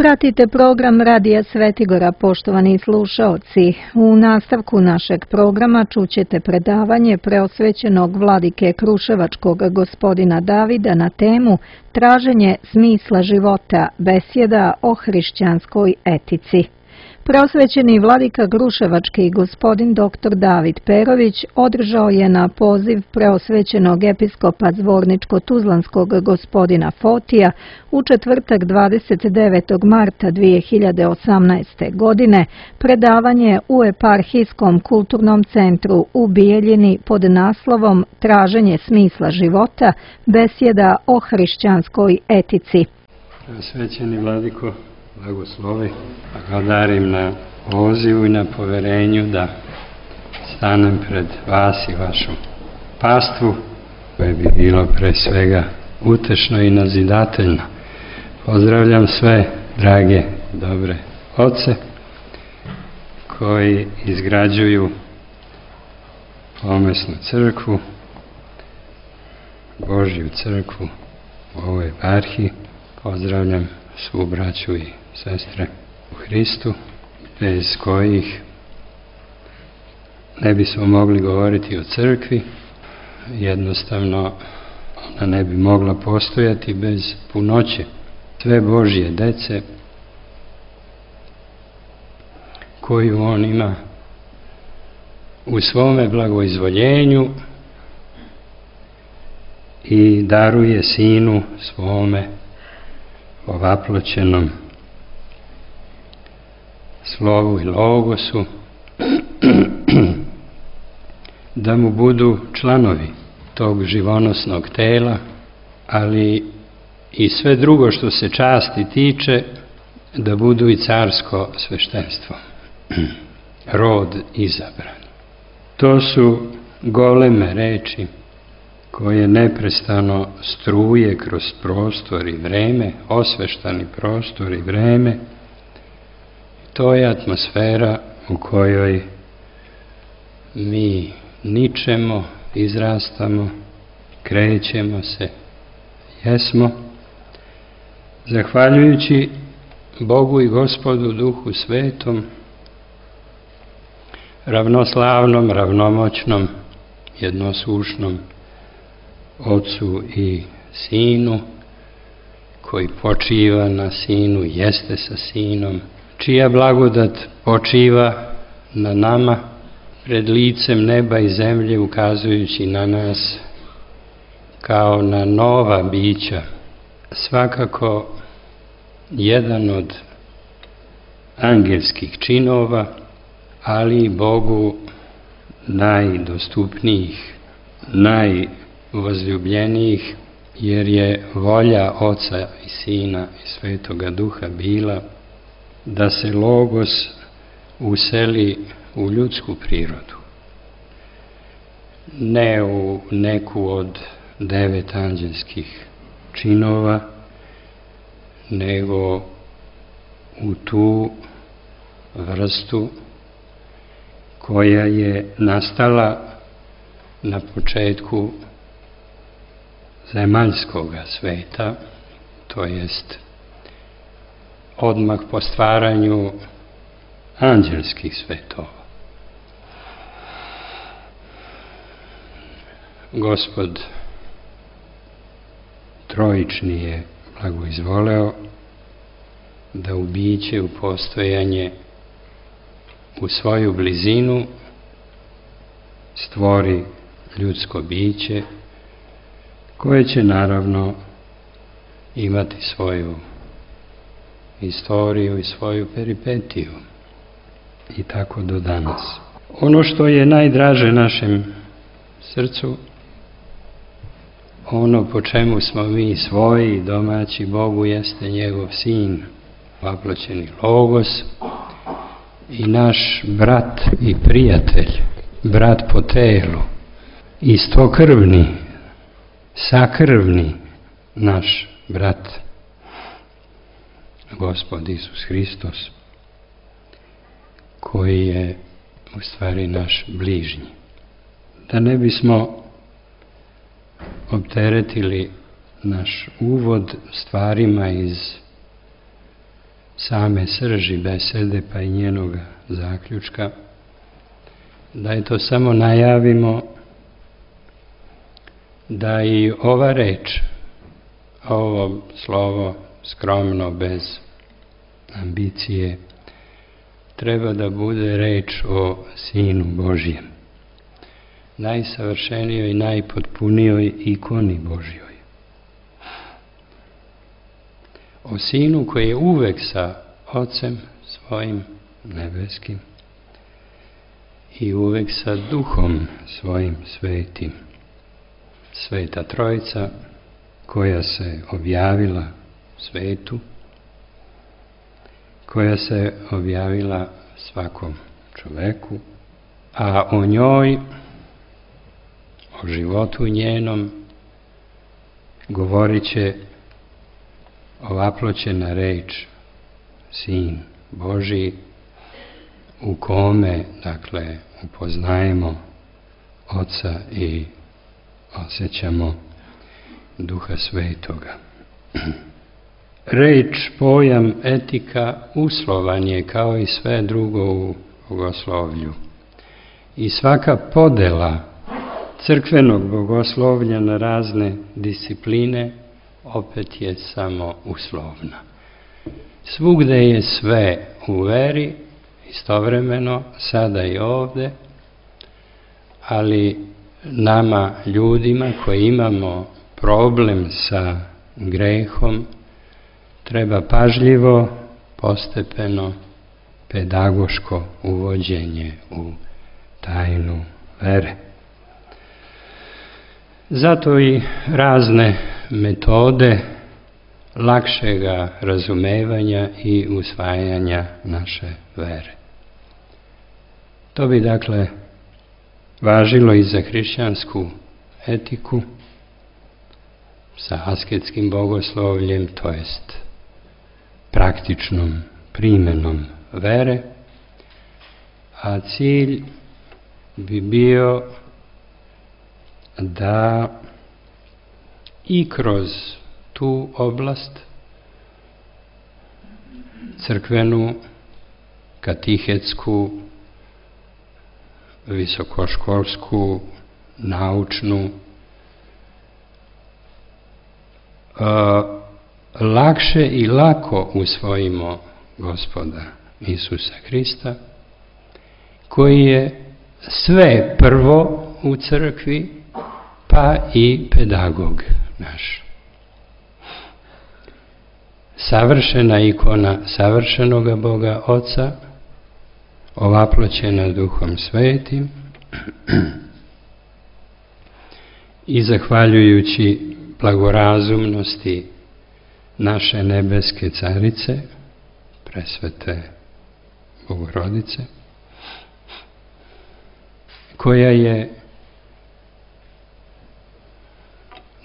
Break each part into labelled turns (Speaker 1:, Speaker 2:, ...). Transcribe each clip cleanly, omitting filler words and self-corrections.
Speaker 1: Pratite program Radija Svetigora, poštovani slušaoci. U nastavku našeg programa čućete predavanje preosvećenog vladike Kruševačkog gospodina Davida na temu Traženje smisla života, besjeda o hrišćanskoj etici. Preosvećeni vladika Kruševački gospodin dr. David Perović održao je na poziv preosvećenog episkopa Zvorničko-Tuzlanskog gospodina Fotija u četvrtak 29. marta 2018. godine predavanje u Eparhijskom kulturnom centru u Bijeljini pod naslovom Traženje smisla života, besjeda o hrišćanskoj etici.
Speaker 2: Preosvećeni vladiko, blagoslovi, blagodarim na pozivu i na poverenju da stanem pred vas i vašu pastvu, koje bi bilo pre svega utešno i nazidateljno. Pozdravljam sve drage, dobre oce koji izgrađuju pomesnu crkvu, Božju crkvu u ovoj eparhiji. Pozdravljam svu braću i sestre u Hristu, bez kojih ne bismo mogli govoriti o crkvi. Jednostavno, ona ne bi mogla postojati bez punoće sve Božje dece koju on ima u svome blagoizvoljenju i daruje Sinu svome ovaploćenom slovu i logosu da mu budu članovi tog živonosnog tela, ali i sve drugo što se časti tiče, da budu i carsko sveštenstvo, rod izabran. To su goleme reči koje neprestano struje kroz prostor i vreme, osveštani prostor i vreme. To je atmosfera u kojoj mi ničemo, izrastamo, krećemo se, jesmo, zahvaljujući Bogu i Gospodu Duhu Svetom, ravnoslavnom, ravnomoćnom, jednosušnom Otcu i Sinu, koji počiva na Sinu, jeste sa Sinom, čija blagodat počiva na nama pred licem neba i zemlje, ukazujući na nas kao na nova bića. Svakako jedan od angelskih činova, ali Bogu najdostupnijih, najvozljubljenijih, jer je volja Oca i Sina i Svetoga Duha bila da se Logos useli u ljudsku prirodu, ne u neku od 9 anđelskih činova, nego u tu vrstu koja je nastala na početku zemaljskoga sveta, to jest odmah po stvaranju anđelskih svetova. Gospod trojični je blagoizvoleo da u biće, u postojanje, u svoju blizinu stvori ljudsko biće koje će naravno imati svoju istoriju i svoju peripetiju i tako do danas. Ono što je najdraže našem srcu, ono po čemu smo mi svoji domaći Bogu, jeste njegov Sin, vaploćeni Logos i naš brat i prijatelj, brat po telu, istokrvni, sakrvni naš brat, Gospod Isus Hristos, koji je u stvari naš bližnji. Da ne bismo opteretili naš uvod stvarima iz same srži besede pa i njenog zaključka, da je to samo najavimo da i ova reč, ovo slovo skromno, bez ambicije, treba da bude reč o Sinu Božjem, najsavršenijoj i najpotpunijoj ikoni Božjoj. O Sinu koji je uvek sa Ocem svojim nebeskim i uvek sa Duhom svojim svetim. Sveta Trojica koja se objavila svetu, koja se objavila svakom čoveku, a o njoj, o životu njenom, govorit će ovaploćena reč Sin Božji, u kome, dakle, upoznajemo Oca i osjećamo Duha Svetoga. Reč, pojam, etika uslovan je kao i sve drugo u bogoslovlju. I svaka podela crkvenog bogoslovlja na razne discipline opet je samo uslovna. Svugde je sve u veri, istovremeno, sada i ovde, ali nama, ljudima koji imamo problem sa grehom, treba pažljivo, postepeno, pedagoško uvođenje u tajnu vere. Zato i razne metode lakšega razumevanja i usvajanja naše vere. To bi, dakle, važilo i za hrišćansku etiku sa asketskim bogoslovljem, to jest praktičnom primenom vere, a cilj bi bio da i kroz tu oblast crkvenu, katihetsku, visokoškolsku, naučnu, lakše i lako usvojimo Gospoda Isusa Hrista, koji je sve prvo u crkvi, pa i pedagog naš. Savršena ikona savršenoga Boga Oca, ovaploćena Duhom Svetim, i zahvaljujući blagorazumnosti naše nebeske carice, presvete Bogorodice, koja je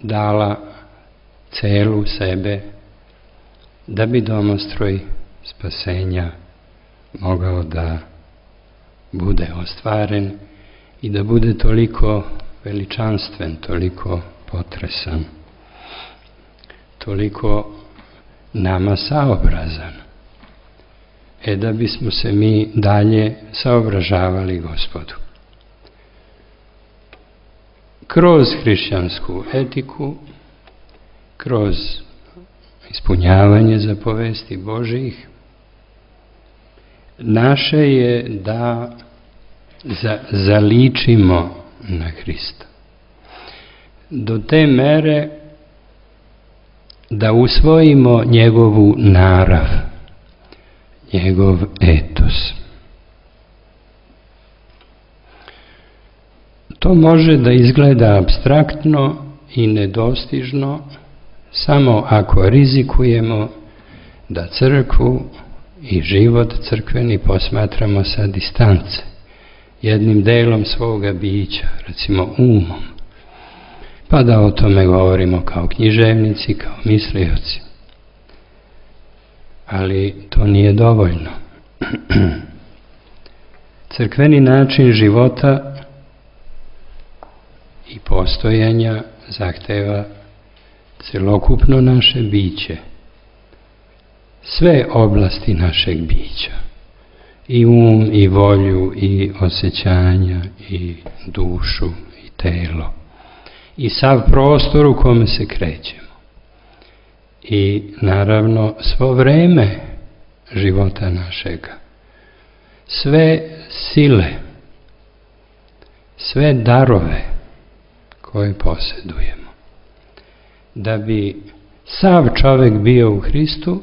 Speaker 2: dala celu sebe da bi domostroj spasenja mogao da bude ostvaren i da bude toliko veličanstven, toliko potresan, toliko nama saobrazan, da bismo se mi dalje saobražavali Gospodu. Kroz hrišćansku etiku, kroz ispunjavanje zapovesti Božjih, naše je da zaličimo na Hrista. Do te mere da usvojimo njegovu narav, njegov etos. To može da izgleda apstraktno i nedostižno samo ako rizikujemo da crkvu i život crkveni posmatramo sa distance, jednim delom svoga bića, recimo umom, pa da o tome govorimo kao književnici, kao mislioci. Ali to nije dovoljno. Crkveni način života i postojanja zahteva celokupno naše biće sve oblasti našeg bića, i i volju, i osjećanja, i dušu, i telo, i sav prostor u kome se krećemo. I naravno svo vreme života našega, sve sile, sve darove koje posjedujemo. Da bi sav čovjek bio u Hristu,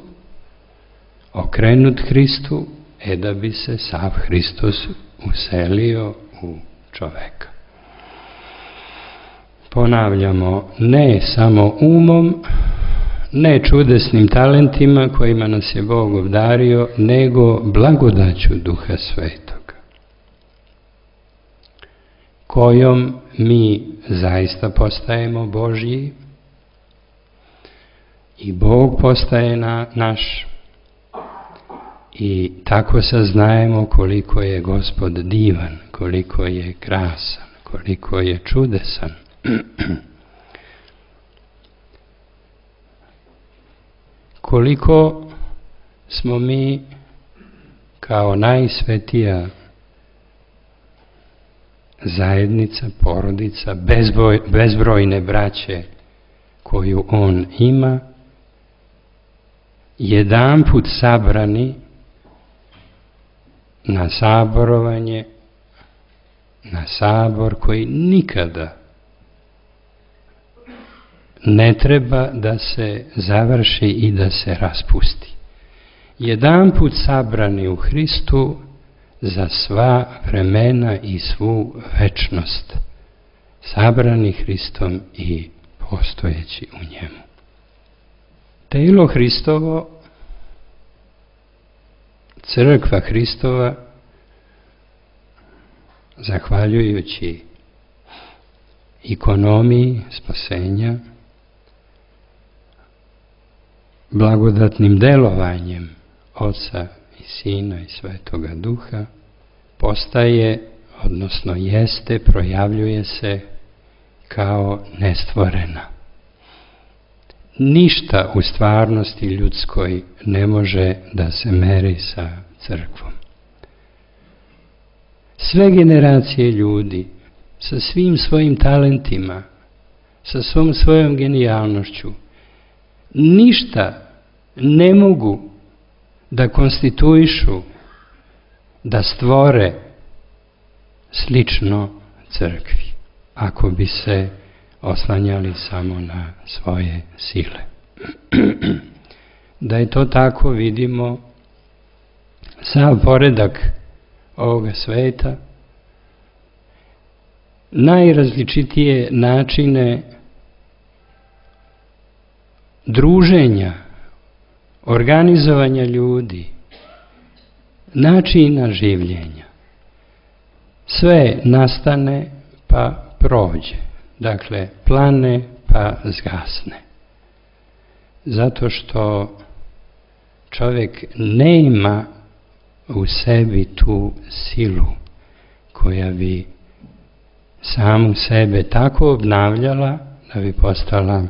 Speaker 2: okrenut Hristu, da bi se sav Hristos uselio u čoveka. Ponavljamo, ne samo umom, ne čudesnim talentima kojima nas je Bog obdario, nego blagodaću Duha Svetoga, kojom mi zaista postajemo Božji i Bog postaje naš, i tako saznajemo koliko je Gospod divan, koliko je krasan, koliko je čudesan. Koliko smo mi kao najsvetija zajednica, porodica, bezbrojne braće koju on ima, jedanput sabrani na saborovanje, na sabor koji nikada ne treba da se završi i da se raspusti. Jedanput sabrani u Hristu za sva vremena i svu večnost, sabrani Hristom i postojeći u njemu. Telo Hristovo, crkva Hristova, zahvaljujući ikonomiji spasenja, blagodatnim delovanjem Oca i Sina i Svetoga Duha, postaje, odnosno jeste, projavljuje se kao nestvorena. Ništa u stvarnosti ljudskoj ne može da se meri sa crkvom. Sve generacije ljudi sa svim svojim talentima, sa svom svojom genijalnošću, ništa ne mogu da konstituišu, da stvore slično crkvi, ako bi se oslanjali samo na svoje sile. Da je to tako, vidimo sav poredak ovoga sveta, najrazličitije načine druženja, organizovanja ljudi, načina življenja. Sve nastane pa prođe. Dakle, plane pa zgasne. Zato što čovjek nema u sebi tu silu koja bi samu sebe tako obnavljala da bi postala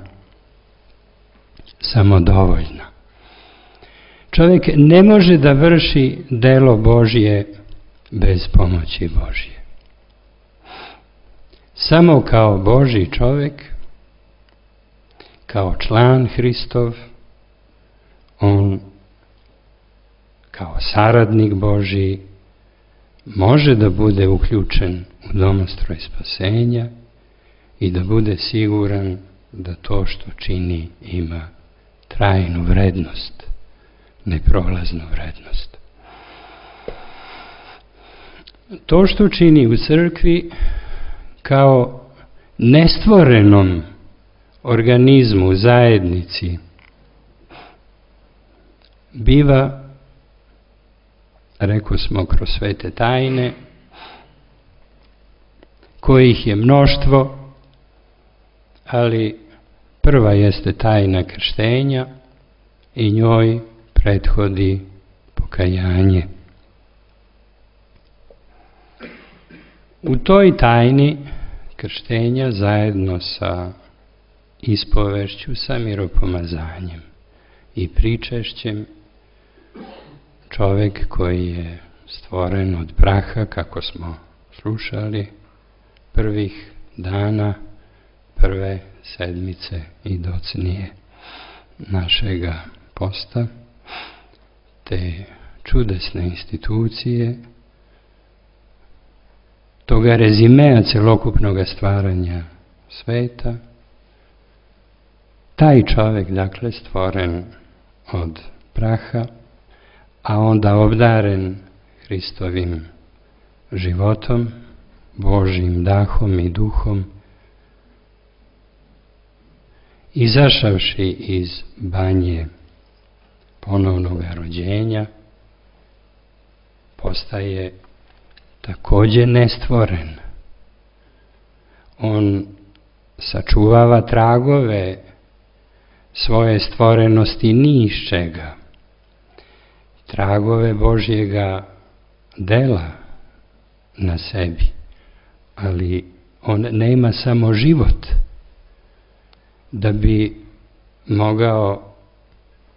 Speaker 2: samodovoljna. Čovjek ne može da vrši delo Božje bez pomoći Božje. Samo kao Božji čovjek, kao član Hristov, on kao saradnik Božji može da bude uključen u domostroj spasenja i da bude siguran da to što čini ima trajnu vrednost, neprolaznu vrednost. To što čini u crkvi kao nestvorenom organizmu, zajednici, biva, rekao smo, kroz svete tajne, kojih je mnoštvo, ali prva jeste tajna krštenja i njoj prethodi pokajanje. U toj tajni krštenja zajedno sa ispovešću, sa miropomazanjem i pričešćem čovjek koji je stvoren od praha, kako smo slušali prvih dana prve sedmice i docnije našega posta, te čudesne institucije, toga rezimea celokupnog stvaranja sveta, taj čovjek, dakle, stvoren od praha, a onda obdaren Hristovim životom, Božjim dahom i duhom, izašavši iz banje ponovnog rođenja, postaje također nestvoren. On sačuvava tragove svoje stvorenosti ni iz čega, tragove Božjega dela na sebi, ali on nema samo život da bi mogao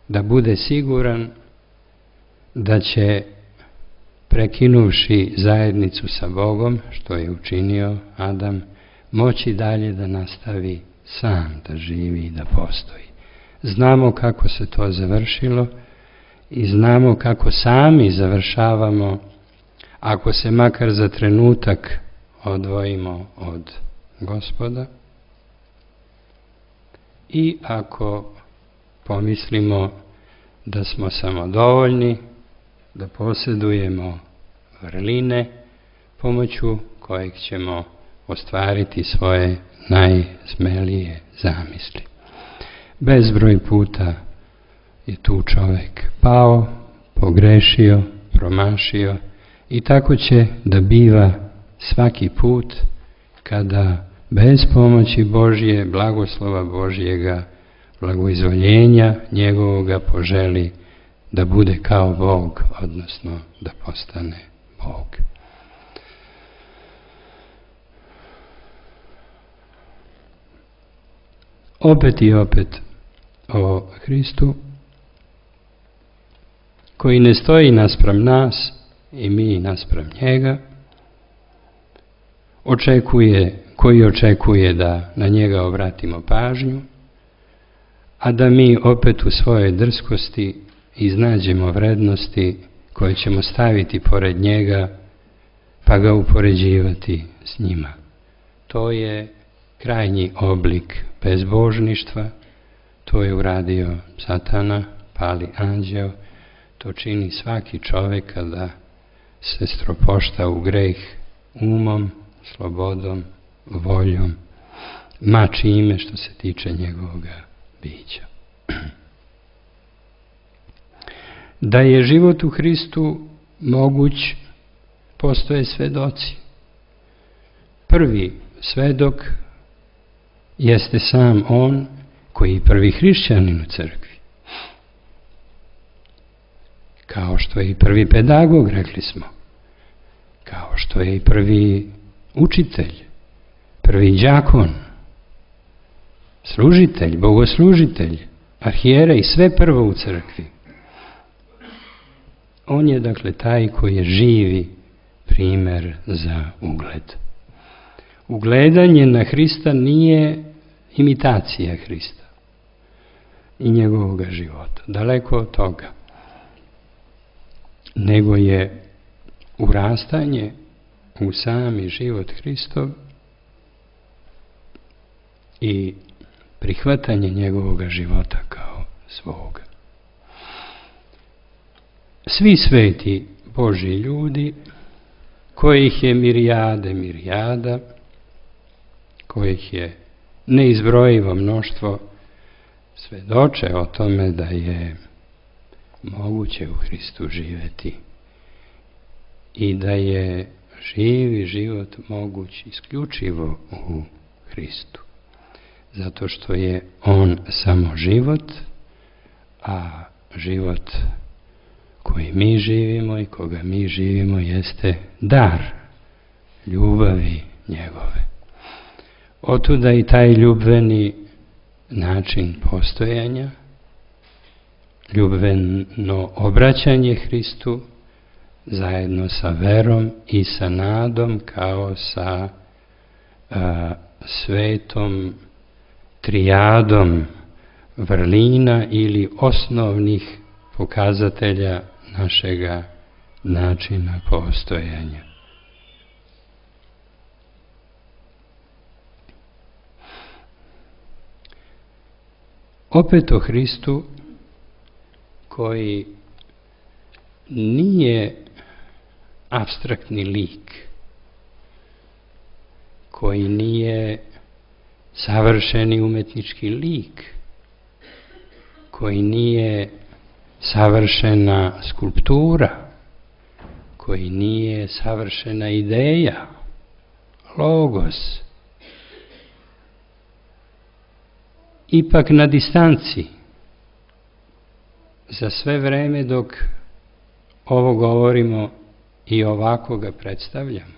Speaker 2: da bude siguran da će, prekinuvši zajednicu sa Bogom, što je učinio Adam, moći dalje da nastavi sam da živi i da postoji. Znamo kako se to završilo i znamo kako sami završavamo ako se makar za trenutak odvojimo od Gospoda i ako pomislimo da smo samodovoljni, da posjedujemo vrline pomoću kojeg ćemo ostvariti svoje najsmelije zamisli. Bezbroj puta je tu čovjek pao, pogrešio, promašio i tako će da biva svaki put kada bez pomoći Božje, blagoslova Božjega, blagoizvoljenja njegovoga poželi da bude kao Bog, odnosno da postane Bog. Opet i opet o Hristu, koji ne stoji naspram nas i mi naspram njega, koji očekuje da na njega obratimo pažnju, a da mi opet u svojoj drskosti iznađemo vrednosti koje ćemo staviti pored njega pa ga upoređivati s njima. To je krajnji oblik bezbožništva, to je uradio Satana, pali anđeo, to čini svaki čovjek kada se stropošta u greh umom, slobodom, voljom, ma čime što se tiče njegovoga bića. Da je život u Hristu moguć, postoje svedoci. Prvi svedok jeste sam on koji je prvi hrišćanin u crkvi. Kao što je i prvi pedagog, rekli smo. Kao što je i prvi učitelj, prvi đakon, služitelj, bogoslužitelj, arhijerej, sve prvo u crkvi. On je, dakle, taj koji je živi primjer za ugled. Ugledanje na Hrista nije imitacija Hrista i njegovog života. Daleko od toga. Nego je urastanje u sami život Hristov i prihvatanje njegovog života kao svoga. Svi sveti Božji ljudi, kojih je mirijada, kojih je neizbrojivo mnoštvo, svedoče o tome da je moguće u Hristu živjeti i da je živi život moguć isključivo u Hristu. Zato što je on samo život, a život koji mi živimo i koga mi živimo jeste dar ljubavi njegove. Otuda i taj ljubveni način postojanja, ljubavno obraćanje Hristu zajedno sa verom i sa nadom kao sa svetom trijadom vrlina ili osnovnih pokazatelja našega načina postojanja. Opet o Hristu koji nije apstraktni lik, koji nije savršeni umetnički lik, koji nije savršena skulptura, koji nije savršena ideja, logos. Ipak na distanci, za sve vreme dok ovo govorimo i ovako ga predstavljamo,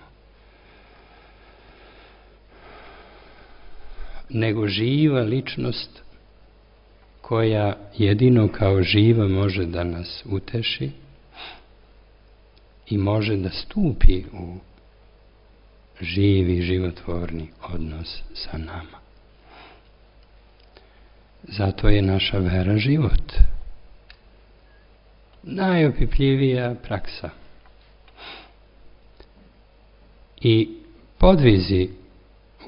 Speaker 2: nego živa ličnost koja jedino kao živa može da nas uteši i može da stupi u živi, životvorni odnos sa nama. Zato je naša vera život. Najopipljivija praksa. I podvizi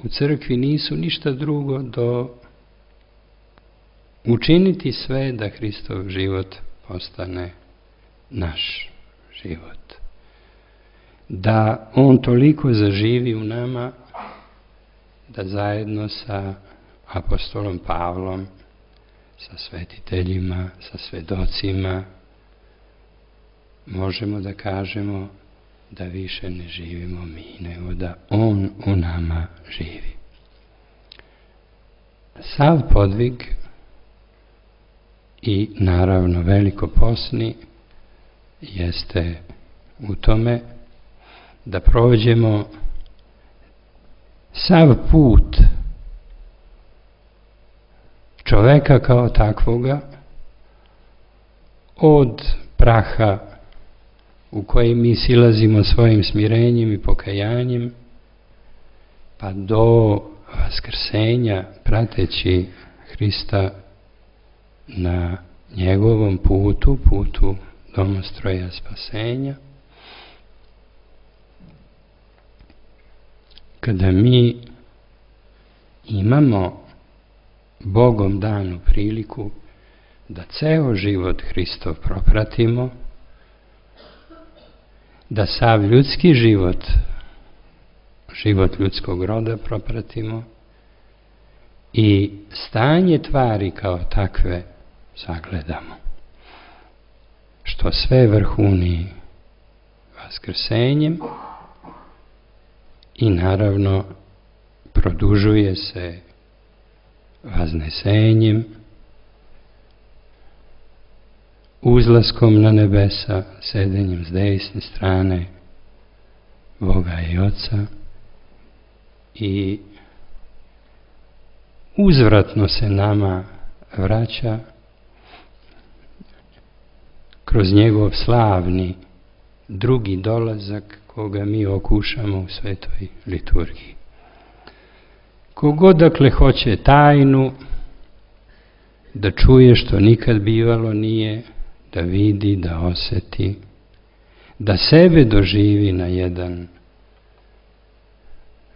Speaker 2: u crkvi nisu ništa drugo do učiniti sve da Hristov život postane naš život. Da on toliko zaživi u nama da zajedno sa apostolom Pavlom, sa svetiteljima, sa svedocima, možemo da kažemo da više ne živimo mi, nego da on u nama živi. Sav podvig i naravno velikoposni jeste u tome da prođemo sav put čoveka kao takvoga od praha u koji mi silazimo svojim smirenjem i pokajanjem, pa do vaskrsenja prateći Hrista na njegovom putu, putu domostroja spasenja. Kada mi imamo Bogom danu priliku da ceo život Hristov propratimo, da sav ljudski život, život ljudskog roda propratimo i stanje tvari kao takve sagledamo, što sve vrhuni vaskrsenjem i naravno produžuje se vaznesenjem, uzlaskom na nebesa, sedenjem s desne strane Boga i Oca i uzvratno se nama vraća kroz njegov slavni drugi dolazak koga mi okušamo u svetoj liturgiji. Kogod dakle hoće tajnu da čuje što nikad bivalo nije, da vidi, da oseti, da sebe doživi na jedan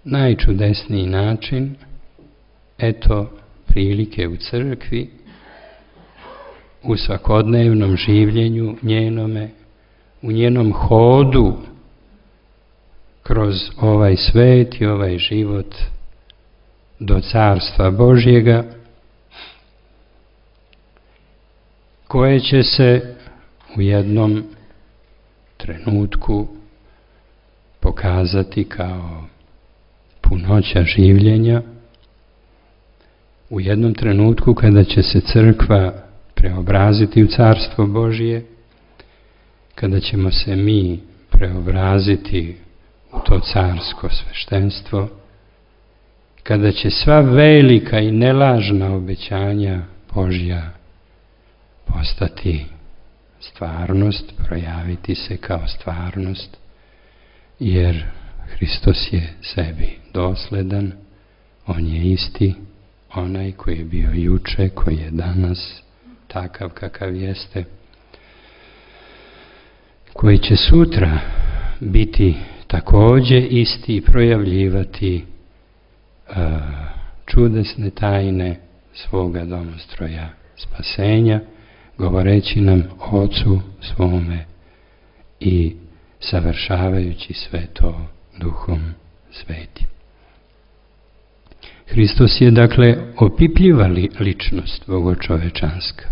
Speaker 2: najčudesniji način, eto prilike u crkvi, u svakodnevnom življenju njenome, u njenom hodu kroz ovaj svet i ovaj život do Carstva Božjega, koje će se u jednom trenutku pokazati kao punoća življenja, u jednom trenutku kada će se crkva preobraziti u Carstvo Božje, kada ćemo se mi preobraziti u to carsko sveštenstvo, kada će sva velika i nelažna obećanja Božja postati stvarnost, projaviti se kao stvarnost, jer Hristos je sebi dosledan, on je isti, onaj koji je bio juče, koji je danas, takav kakav jeste, koji će sutra biti također isti i projavljivati čudesne tajne svoga domostroja spasenja, govoreći nam o Ocu svome i savršavajući sve to Duhom Svetim. Hristos je dakle opipljiva ličnost bogočovečanska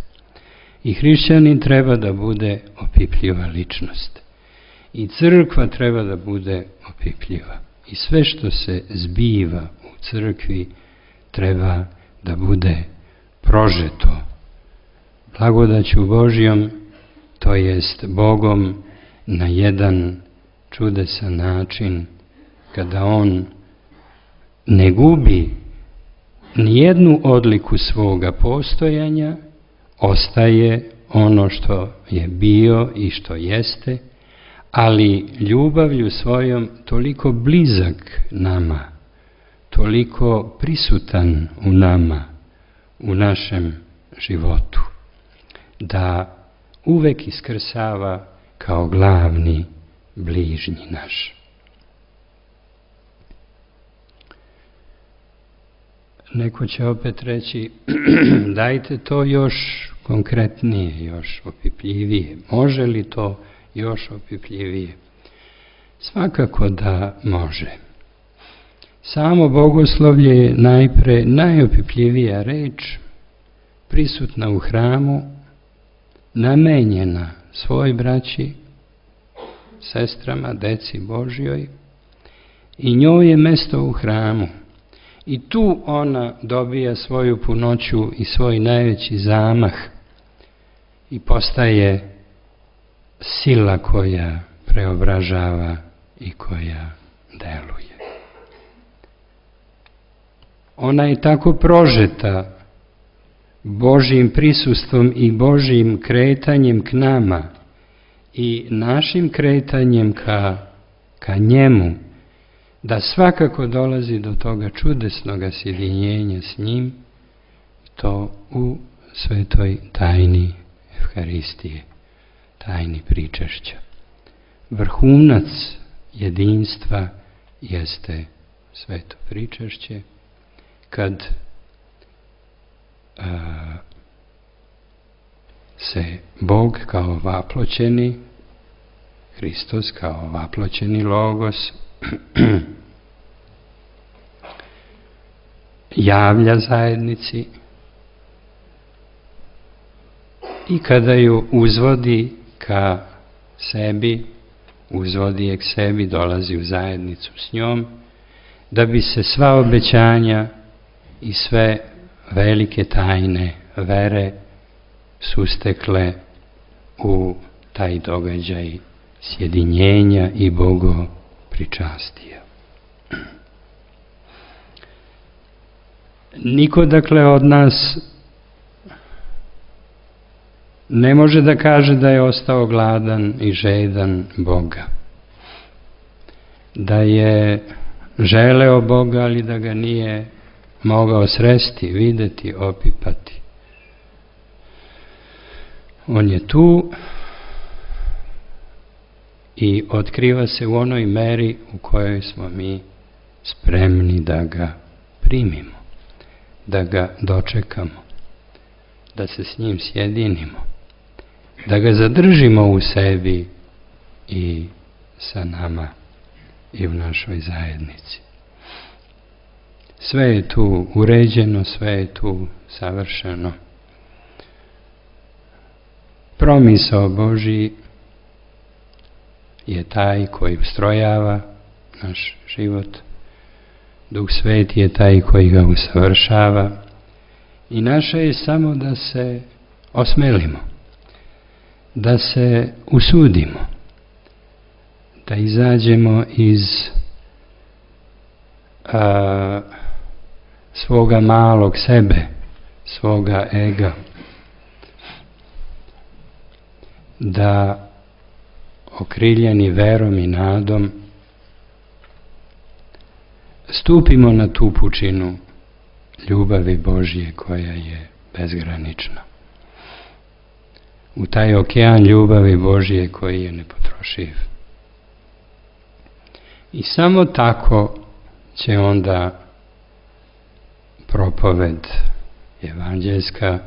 Speaker 2: i hrišćanin treba da bude opipljiva ličnost i crkva treba da bude opipljiva i sve što se zbiva u crkvi treba da bude prožeto blagodaću Božjom, to jest Bogom na jedan čudesan način, kada on ne gubi nijednu odliku svoga postojanja, ostaje ono što je bio i što jeste, ali ljubavlju svojom toliko blizak nama, toliko prisutan u nama, u našem životu, da uvek iskrsava kao glavni bližnji naš. Neko će opet reći, dajte to još konkretnije, još opipljivije. Može li to još opipljivije? Svakako da može. Samo bogoslovlje je najpre najopipljivija reč, prisutna u hramu, namenjena svoj braći, sestrama, deci Božjoj, i njoj je mesto u hramu. I tu ona dobija svoju punoću i svoj najveći zamah i postaje sila koja preobražava i koja deluje. Ona je tako prožeta Božjim prisustvom i Božjim kretanjem k nama i našim kretanjem ka njemu, da svakako dolazi do toga čudesnog sjedinjenja s njim, to u svetoj tajni Evharistije, tajni pričešća. Vrhunac jedinstva jeste sveto pričešće, kad se Bog kao vaploćeni, Hristos kao vaploćeni Logos, javlja zajednici i kada ju uzvodi ka sebi, uzvodi je k sebi, dolazi u zajednicu s njom, da bi se sva obećanja i sve velike tajne vere sustekle u taj događaj sjedinjenja i bogopričastija. Niko dakle od nas ne može da kaže da je ostao gladan i žedan Boga, da je želeo Boga, ali da ga nije mogao sresti, videti, opipati. On je tu i otkriva se u onoj meri u kojoj smo mi spremni da ga primimo, da ga dočekamo, da se s njim sjedinimo, da ga zadržimo u sebi i sa nama i u našoj zajednici. Sve je tu uređeno, sve je tu savršeno. Promisao Božji je taj koji ustrojava naš život. Duh Sveti je taj koji ga usavršava i naše je samo da se osmelimo, da se usudimo, da izađemo iz svoga malog sebe, svoga ega da okriljeni verom i nadom stupimo na tu pučinu ljubavi Božje koja je bezgranična. U taj okean ljubavi Božje koji je nepotrošiv. I samo tako će onda propoved evanđeljska,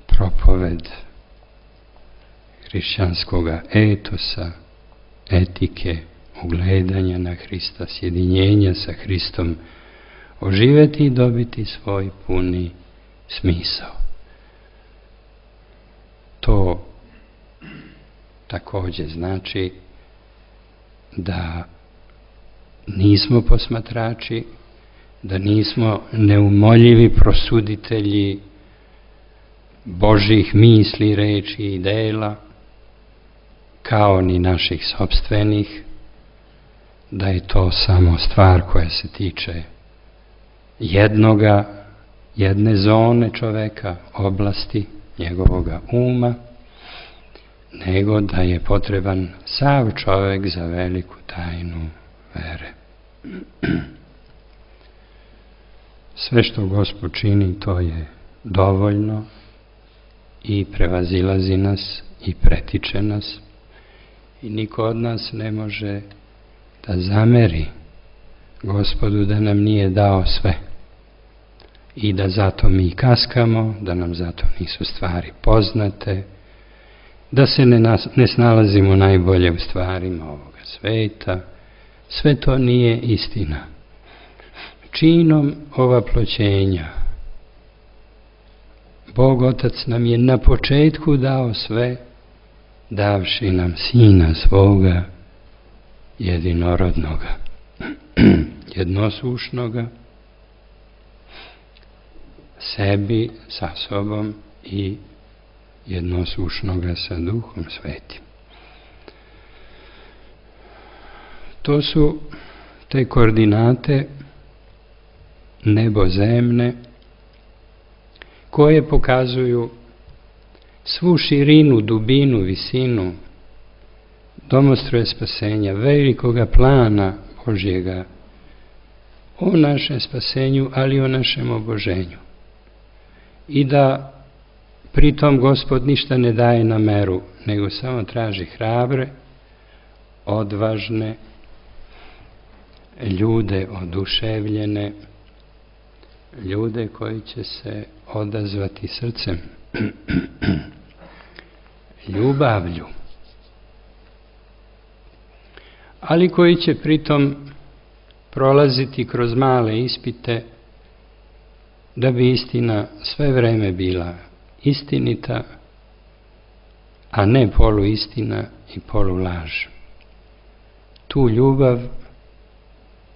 Speaker 2: propoved hrišćanskoga etosa, etike, ugledanja na Hrista, sjedinjenja sa Hristom, oživjeti i dobiti svoj puni smisao. To također znači da nismo posmatrači, da nismo neumoljivi prosuditelji Božjih misli, reči i dela, kao ni naših sopstvenih, da je to samo stvar koja se tiče jedne zone čoveka, oblasti njegovoga uma, nego da je potreban sav čovek za veliku tajnu vere. Sve što Gospod čini, to je dovoljno i prevazilazi nas i pretiče nas i niko od nas ne može da zameri Gospodu da nam nije dao sve i da zato mi kaskamo, da nam zato nisu stvari poznate, da se ne snalazimo najbolje u stvarima ovoga sveta. Sve to nije istina. Činom ovaploćenja Bog Otac nam je na početku dao sve, davši nam Sina svoga jedinorodnoga, jednosušnoga, sebi sa sobom i jednosušnoga sa Duhom Svetim. To su te koordinate nebozemne koje pokazuju svu širinu, dubinu, visinu domostroja spasenja, velikoga plana Božjega o našem spasenju, ali i o našem oboženju. I da pritom Gospod ništa ne daje na meru, nego samo traži hrabre, odvažne, ljude oduševljene, ljude koji će se odazvati srcem, ljubavlju, ali koji će pritom prolaziti kroz male ispite da bi istina sve vreme bila istinita, a ne poluistina i polulaž. Tu ljubav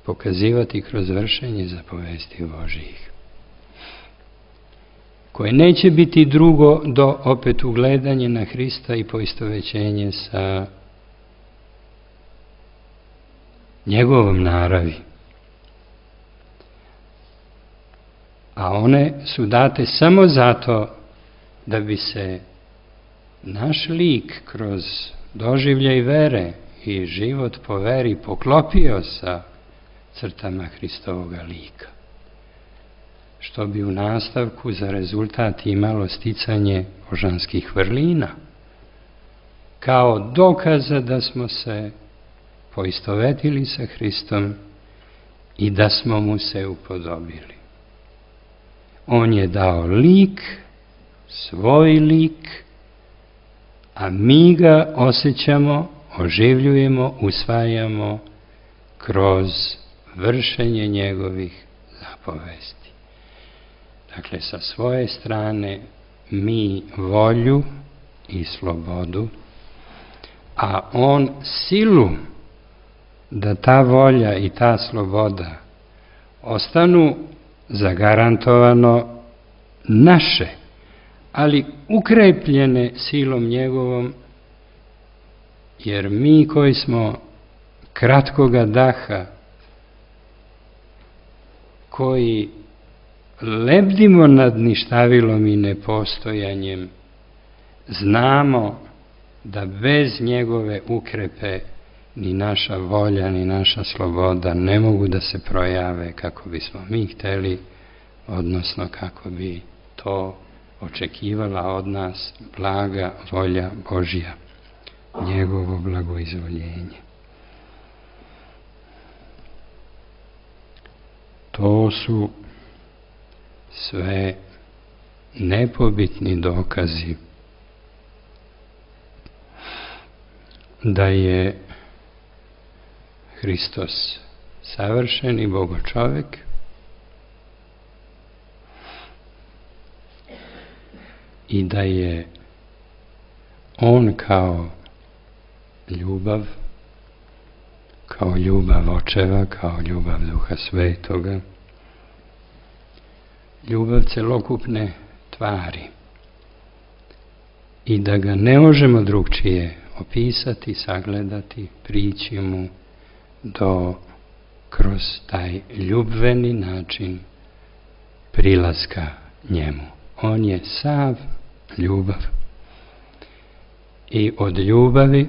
Speaker 2: pokazivati kroz vršenje zapovesti Božjih, koje neće biti drugo do opet ugledanje na Hrista i poistovećenje sa njegovom naravi. A one su date samo zato da bi se naš lik kroz doživljaj vere i život po veri poklopio sa crtama Hristovoga lika, što bi u nastavku za rezultat imalo sticanje božanskih vrlina, kao dokaza da smo se poistovetili sa Hristom i da smo mu se upodobili. On je dao lik, svoj lik, a mi ga osjećamo, oživljujemo, usvajamo kroz vršenje njegovih zapovesti. Dakle, sa svoje strane mi volju i slobodu, a on silu da ta volja i ta sloboda ostanu zagarantovano naše, ali ukrepljene silom njegovom, jer mi koji smo kratkoga daha, koji lebdimo nad ništavilom i nepostojanjem, znamo da bez njegove ukrepe ni naša volja, ni naša sloboda ne mogu da se projave kako bismo mi hteli, odnosno kako bi to očekivala od nas blaga volja Božja, njegovo blagoizvoljenje. To su sve nepobitni dokazi da je Hristos savršeni Bogočovek i da je on kao ljubav, kao ljubav očeva, kao ljubav Duha Svetoga, ljubav celokupne tvari i da ga ne možemo drugčije opisati, sagledati, prići mu kroz taj ljubveni način prilaska njemu. On je sav ljubav i od ljubavi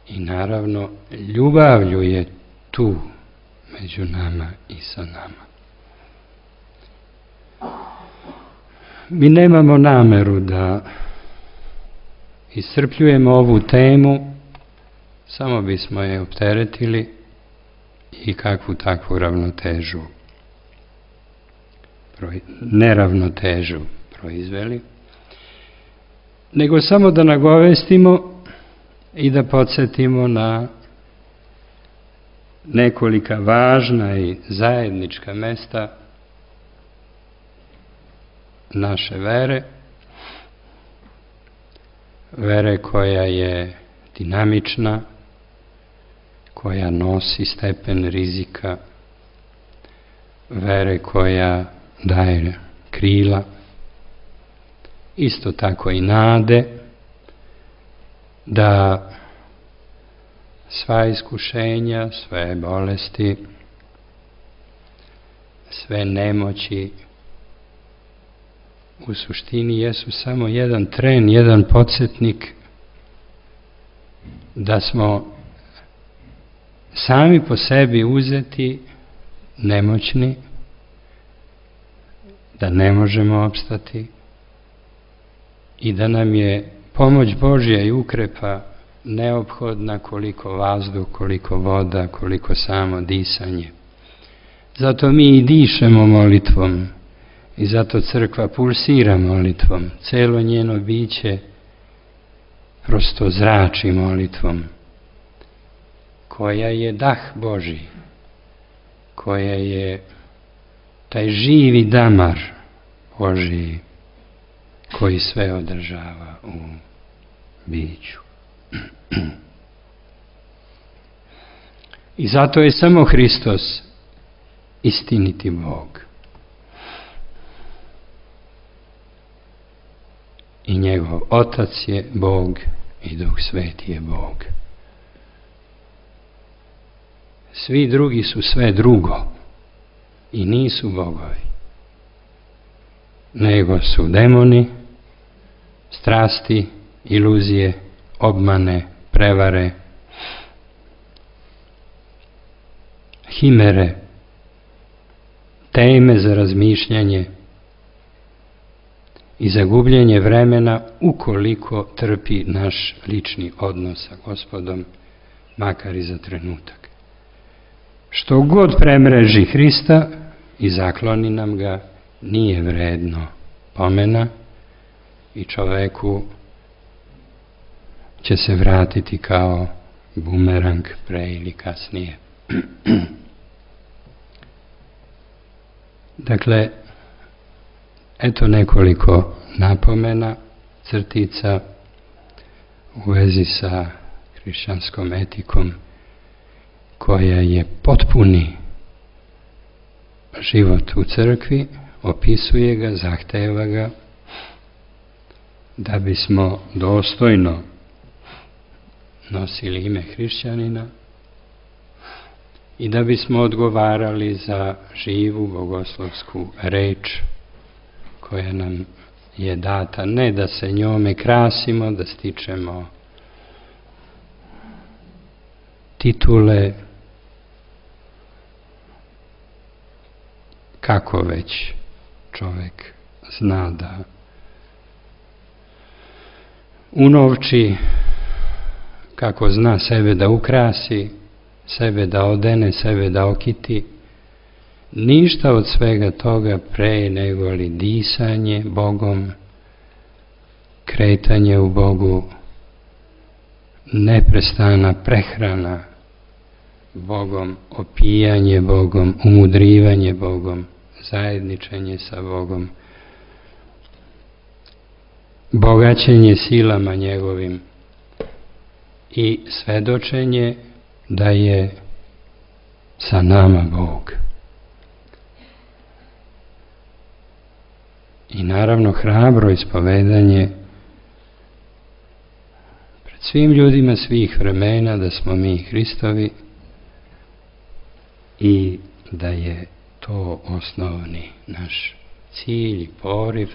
Speaker 2: i naravno ljubavlju je tu među nama i sa nama. Mi nemamo nameru da iscrpljujemo ovu temu, samo bismo je opteretili i kakvu takvu neravnotežu proizveli, nego samo da nagovestimo i da podsjetimo na nekolika važna i zajednička mesta naše vere koja je dinamična, koja nosi stepen rizika, vere koja daje krila, isto tako i nade da sva iskušenja, sve bolesti, sve nemoći u suštini jesu samo jedan tren, jedan podsjetnik da smo sami po sebi uzeti, nemoćni, da ne možemo opstati i da nam je pomoć Božja i ukrepa neophodna koliko vazduh, koliko voda, koliko samo disanje. Zato mi i dišemo molitvom i zato crkva pulsira molitvom. Celo njeno biće prosto zrači molitvom, koja je dah Božji, koja je taj živi damar Božji koji sve održava u biću. I zato je samo Hristos istiniti Bog. I njegov Otac je Bog i Duh Sveti je Bog. Svi drugi su sve drugo i nisu bogovi, nego su demoni, strasti, iluzije, obmane, prevare, himere, teme za razmišljanje i za gubljenje vremena ukoliko trpi naš lični odnos sa Gospodom, makar i za trenutak. Što god premreži Hrista i zakloni nam ga, nije vredno pomena i čoveku će se vratiti kao bumerang pre ili kasnije. Dakle, eto nekoliko napomena, crtica u vezi sa hrišćanskom etikom koja je potpuni život u crkvi, opisuje ga, zahteva ga, da bismo dostojno nosili ime hrišćanina i da bismo odgovarali za živu bogoslovsku reč koja nam je data, ne da se njome krasimo, da stičemo titule, kako već čovjek zna da unovči, kako zna sebe da ukrasi, sebe da odene, sebe da okiti. Ništa od svega toga pre nego li disanje Bogom, kretanje u Bogu, neprestana prehrana Bogom, opijanje Bogom, umudrivanje Bogom, zajedničenje sa Bogom, bogaćenje silama njegovim i svedočenje da je sa nama Bog. I naravno hrabro ispovedanje pred svim ljudima svih vremena da smo mi Hristovi i da je to osnovni naš cilj i poriv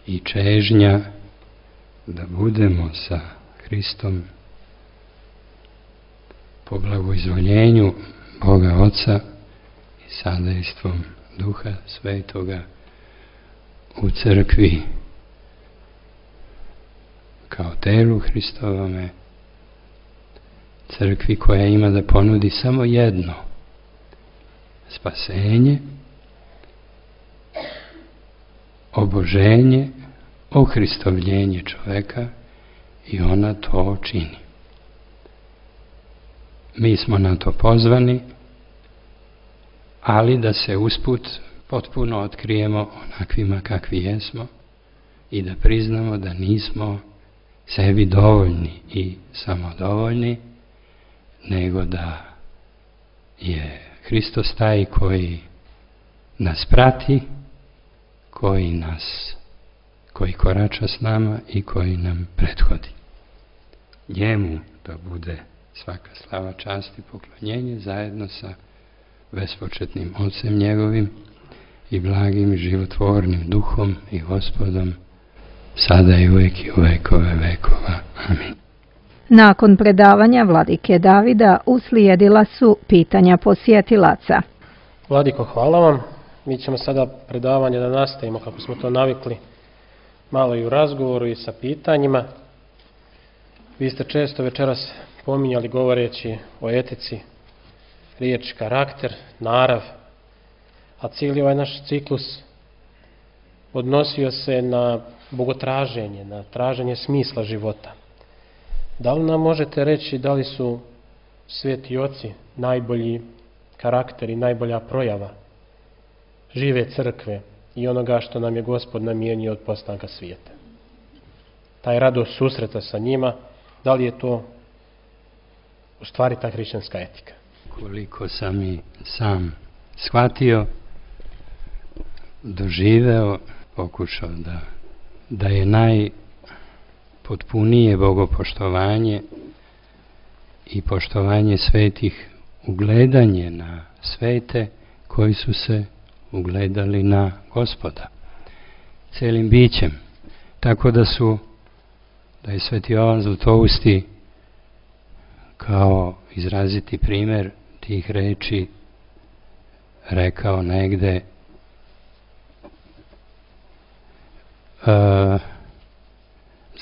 Speaker 2: i čežnja da budemo sa Hristom po blagoizvoljenju Boga Oca i sadejstvom Duha Svetoga u crkvi kao telu Hristovome, crkvi koja ima da ponudi samo jedno: spasenje, oboženje, ohristovljenje čoveka, i ona to čini. Mi smo na to pozvani, ali da se usput potpuno otkrijemo onakvima kakvi jesmo i da priznamo da nismo sebi dovoljni i samodovoljni, nego da je Hristos taj koji nas prati, koji korača s nama i koji nam prethodi. Njemu da bude svaka slava, čast i poklonjenje zajedno sa bespočetnim Ocem njegovim i blagim i životvornim Duhom i Gospodom, sada i uvijek i u vekove vekova. Amin.
Speaker 1: Nakon predavanja vladike Davida uslijedila su pitanja posjetilaca.
Speaker 3: Vladiko, hvala vam. Mi ćemo sada predavanje da nastavimo kako smo to navikli, malo i u razgovoru i sa pitanjima. Vi ste često večeras pominjali, govoreći o etici, riječ karakter, narav, a cijeli ovaj naš ciklus odnosio se na bogotraženje, na traženje smisla života. Da li nam možete reći da li su sveti oci najbolji karakter i najbolja projava žive crkve i onoga što nam je Gospod namijenio od postanka svijeta? Taj radost susreta sa njima, da li je to u stvari ta hrišćanska etika?
Speaker 2: Koliko sam i sam shvatio, doživeo, pokušao da je najpotpunije bogopoštovanje i poštovanje svetih ugledanje na svete koji su se ugledali na Gospoda celim bićem. Tako da je sveti Jovan Zlatousti kao izraziti primjer tih reči rekao negde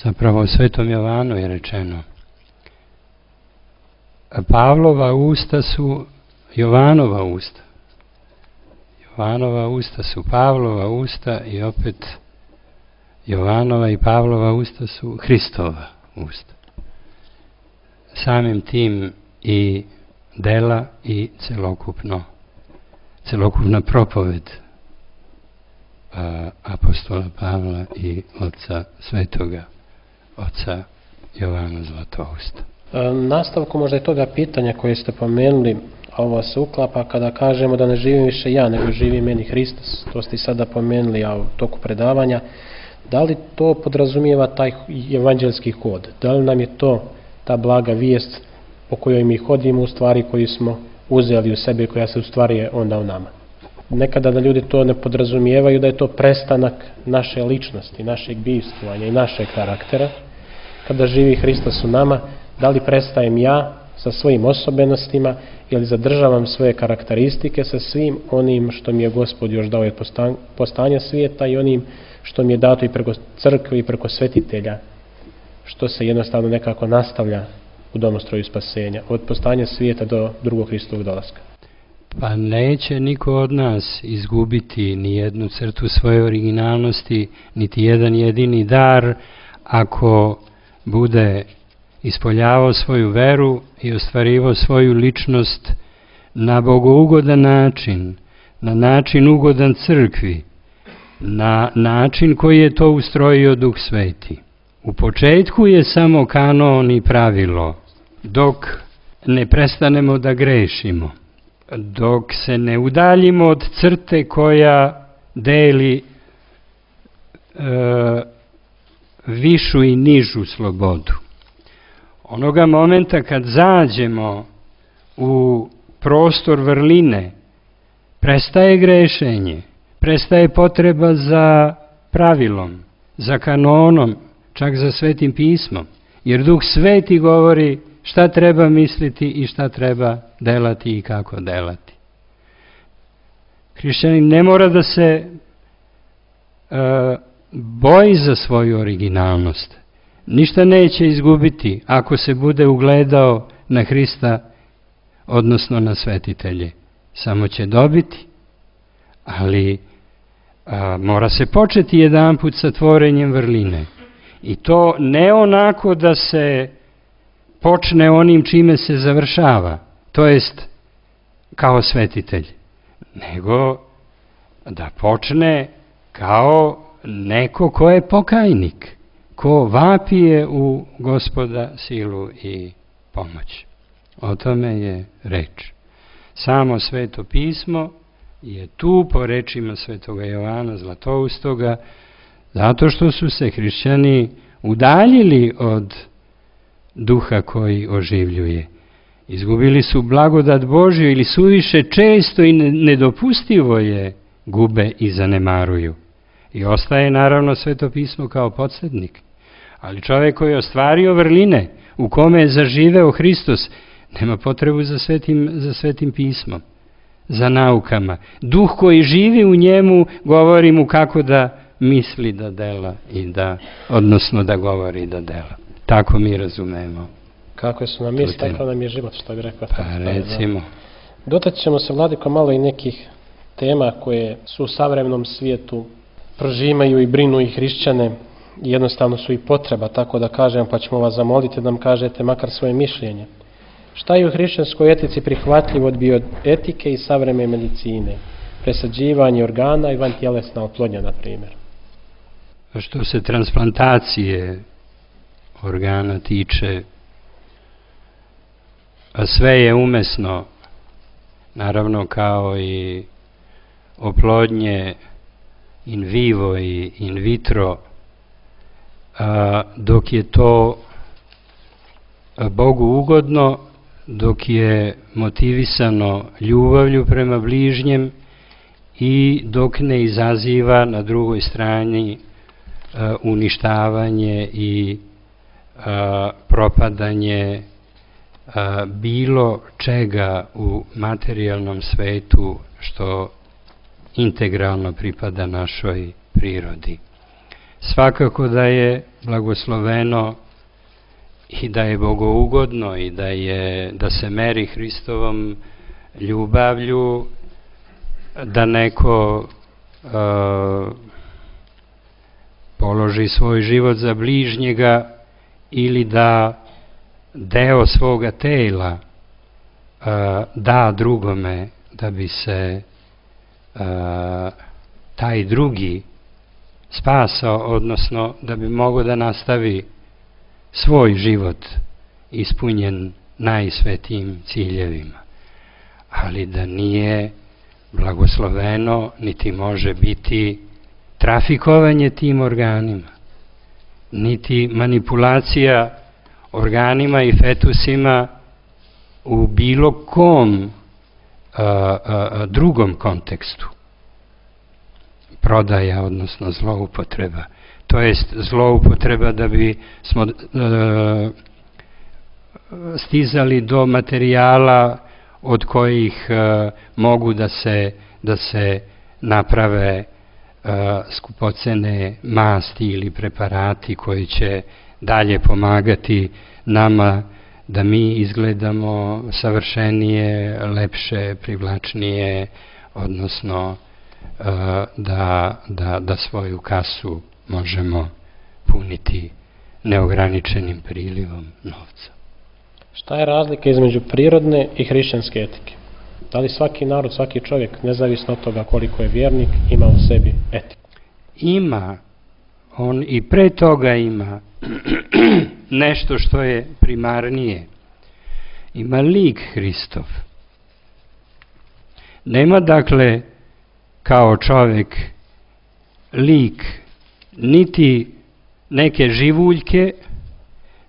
Speaker 2: zapravo u Svetom Jovanu je rečeno: Pavlova usta su Jovanova usta. Jovanova usta su Pavlova usta i opet Jovanova i Pavlova usta su Hristova usta. Samim tim i dela i celokupna propoved apostola Pavla i oca svetoga, oca Jovana Zlatousta.
Speaker 3: Nastavku možda je toga pitanja koje ste pomenuli, a ovo se uklapa kada kažemo da ne živim više ja, nego živi meni Hristos. To ste i sada pomenuli, a u toku predavanja. Da li to podrazumijeva taj evanđelski kod? Da li nam je to ta blaga vijest po kojoj mi hodimo, u stvari koju smo uzeli u sebe i koja se u stvari je onda u nama? nekada da ljudi to ne podrazumijevaju da je to prestanak naše ličnosti, našeg bivstvovanja i našeg karaktera. Kada živi Hristos u nama, da li prestajem ja sa svojim osobenostima ili zadržavam svoje karakteristike sa svim onim što mi je Gospod još dao od postanja svijeta i onim što mi je dato i preko crkve i preko svetitelja, što se jednostavno nekako nastavlja u domostroju spasenja, od postanja svijeta do drugog Hristovog dolaska.
Speaker 2: Pa neće niko od nas izgubiti ni jednu crtu svoje originalnosti, niti jedan jedini dar, ako bude ispoljavao svoju veru i ostvarivao svoju ličnost na bogougodan način, na način ugodan crkvi, na način koji je to ustrojio Duh Sveti. U početku je samo kanon i pravilo, dok ne prestanemo da grešimo, dok se ne udaljimo od crte koja deli višu i nižu slobodu. Onoga momenta kad zađemo u prostor vrline, prestaje grešenje, prestaje potreba za pravilom, za kanonom, čak za Svetim pismom, jer Duh Sveti govori šta treba misliti i šta treba delati i kako delati. Hrišćanin ne mora da se boji za svoju originalnost. Ništa neće izgubiti ako se bude ugledao na Hrista, odnosno na svetitelje. Samo će dobiti, ali mora se početi jedanput sa tvorenjem vrline. I to ne onako da se počne onim čime se završava, to jest kao svetitelj, nego da počne kao neko ko je pokajnik, ko vapije u Gospoda silu i pomoć. O tome je reč. Samo Sveto pismo je tu po rečima Svetoga Jovana Zlatoustoga, zato što su se hrišćani udaljili od duha koji oživljuje. Izgubili su blagodat Božju ili suviše često i nedopustivo je gube i zanemaruju. I ostaje naravno Sveto pismo kao podsjetnik. Ali čovjek koji je ostvario vrline, u kome je zaživeo Hristos, nema potrebu za svetim pismom, za naukama. Duh koji živi u njemu govori mu kako da misli da dela odnosno da govori da dela. Tako mi razumemo.
Speaker 3: Kako su nam misli, tako nam je život, što bi rekao.
Speaker 2: Pa recimo.
Speaker 3: Dotaći ćemo se, Vladiko, malo i nekih tema koje su u savremenom svijetu, prožimaju i brinu i hrišćane, i jednostavno su i potreba, tako da kažem, pa ćemo vas zamoliti da nam kažete makar svoje mišljenje. Šta je u hrišćanskoj etici prihvatljivo od bioetike i savremene medicine? Presađivanje organa i vantjelesna oplodnja, na primjer.
Speaker 2: Što se transplantacije organa tiče, a sve je umesno, naravno kao i oplodnje in vivo i in vitro, dok je to Bogu ugodno, dok je motivisano ljubavlju prema bližnjem i dok ne izaziva na drugoj strani uništavanje i propadanje bilo čega u materijalnom svetu što integralno pripada našoj prirodi. Svakako da je blagosloveno i da je bogougodno i da se meri Hristovom ljubavlju, da neko položi svoj život za bližnjega ili da deo svoga tela da drugome da bi se taj drugi spasao, odnosno da bi mogao da nastavi svoj život ispunjen najsvetijim ciljevima. Ali da nije blagosloveno, niti može biti trafikovanje tim organima, niti manipulacija organima i fetusima u bilo kom drugom kontekstu. prodaja, odnosno zloupotreba. To jest zloupotreba da bi smo stizali do materijala od kojih mogu da se naprave skupocene masti ili preparati koji će dalje pomagati nama da mi izgledamo savršenije, lepše, privlačnije, odnosno da svoju kasu možemo puniti neograničenim prilivom novca.
Speaker 3: Šta je razlika između prirodne i hrišćanske etike? Da li svaki narod, svaki čovjek, nezavisno od toga koliko je vjernik, ima u sebi etiku?
Speaker 2: Ima, on i pre toga ima nešto što je primarnije. Ima lik Hristov. Nema dakle kao čovjek lik niti neke živuljke,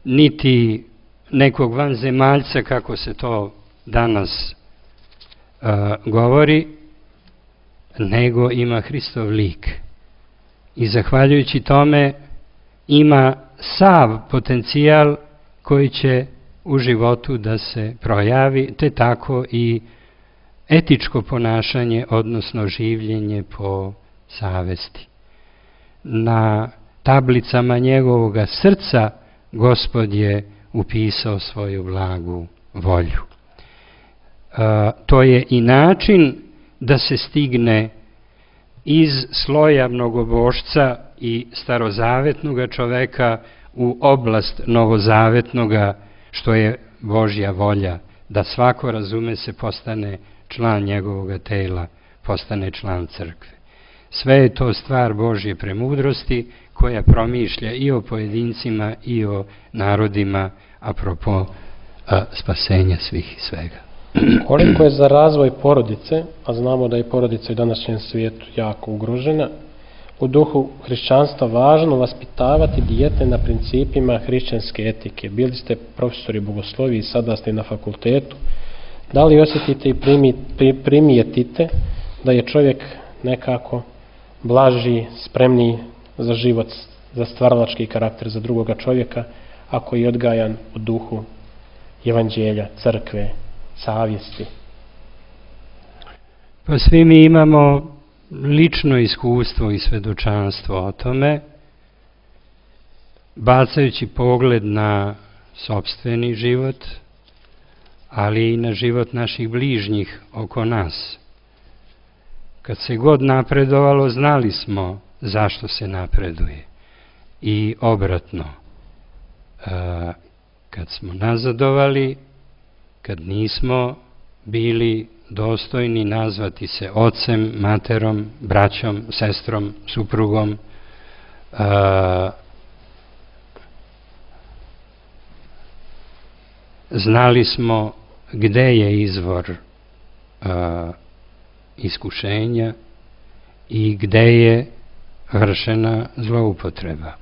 Speaker 2: niti nekog vanzemaljca, kako se to danas govori, nego ima Hristov lik. I zahvaljujući tome ima sav potencijal koji će u životu da se projavi, te tako i etičko ponašanje, odnosno življenje po savesti. Na tablicama njegovoga srca Gospod je upisao svoju blagu volju. To je i način da se stigne iz sloja mnogobožca i starozavetnoga čoveka u oblast novozavetnoga, što je Božja volja, da svako, razume se, postane član njegovoga tela, postane član crkve. Sve je to stvar Božje premudrosti koja promišlja i o pojedincima i o narodima apropo spasenja svih i svega.
Speaker 3: Koliko je za razvoj porodice, a znamo da je porodica u današnjem svijetu jako ugrožena, u duhu hrišćanstva važno vaspitavati dijete na principima hrišćanske etike? Bili ste profesori bogoslovije i sada ste na fakultetu. Da li osjetite i primijetite da je čovjek nekako blaži, spremniji za život, za stvaralački karakter, za drugoga čovjeka, ako je odgajan u duhu evanđelja, crkve, savjesti?
Speaker 2: Pa svi mi imamo lično iskustvo i svedočanstvo o tome, bacajući pogled na sopstveni život, ali i na život naših bližnjih oko nas. Kad se god napredovalo, znali smo zašto se napreduje. I obratno, kad smo nazadovali, kad nismo bili dostojni nazvati se ocem, materom, braćom, sestrom, suprugom, znali smo gde je izvor iskušenja i gde je vršena zloupotreba.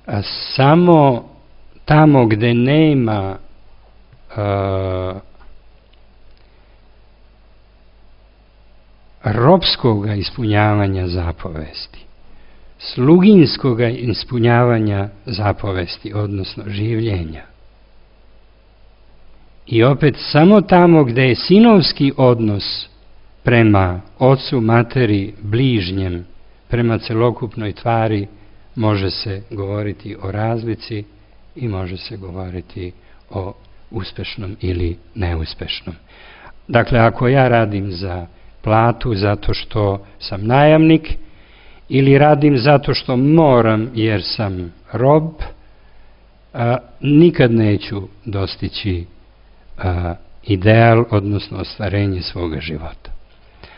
Speaker 2: A samo tamo gde nema ropskoga ispunjavanja zapovesti, sluginskoga ispunjavanja zapovesti, odnosno življenja, i opet samo tamo gde je sinovski odnos prema ocu, materi, bližnjem, prema celokupnoj tvari, može se govoriti o razlici i može se govoriti o uspešnom ili neuspešnom. Dakle, ako ja radim za platu zato što sam najamnik ili radim zato što moram jer sam rob, nikad neću dostići ideal, odnosno ostvarenje svoga života.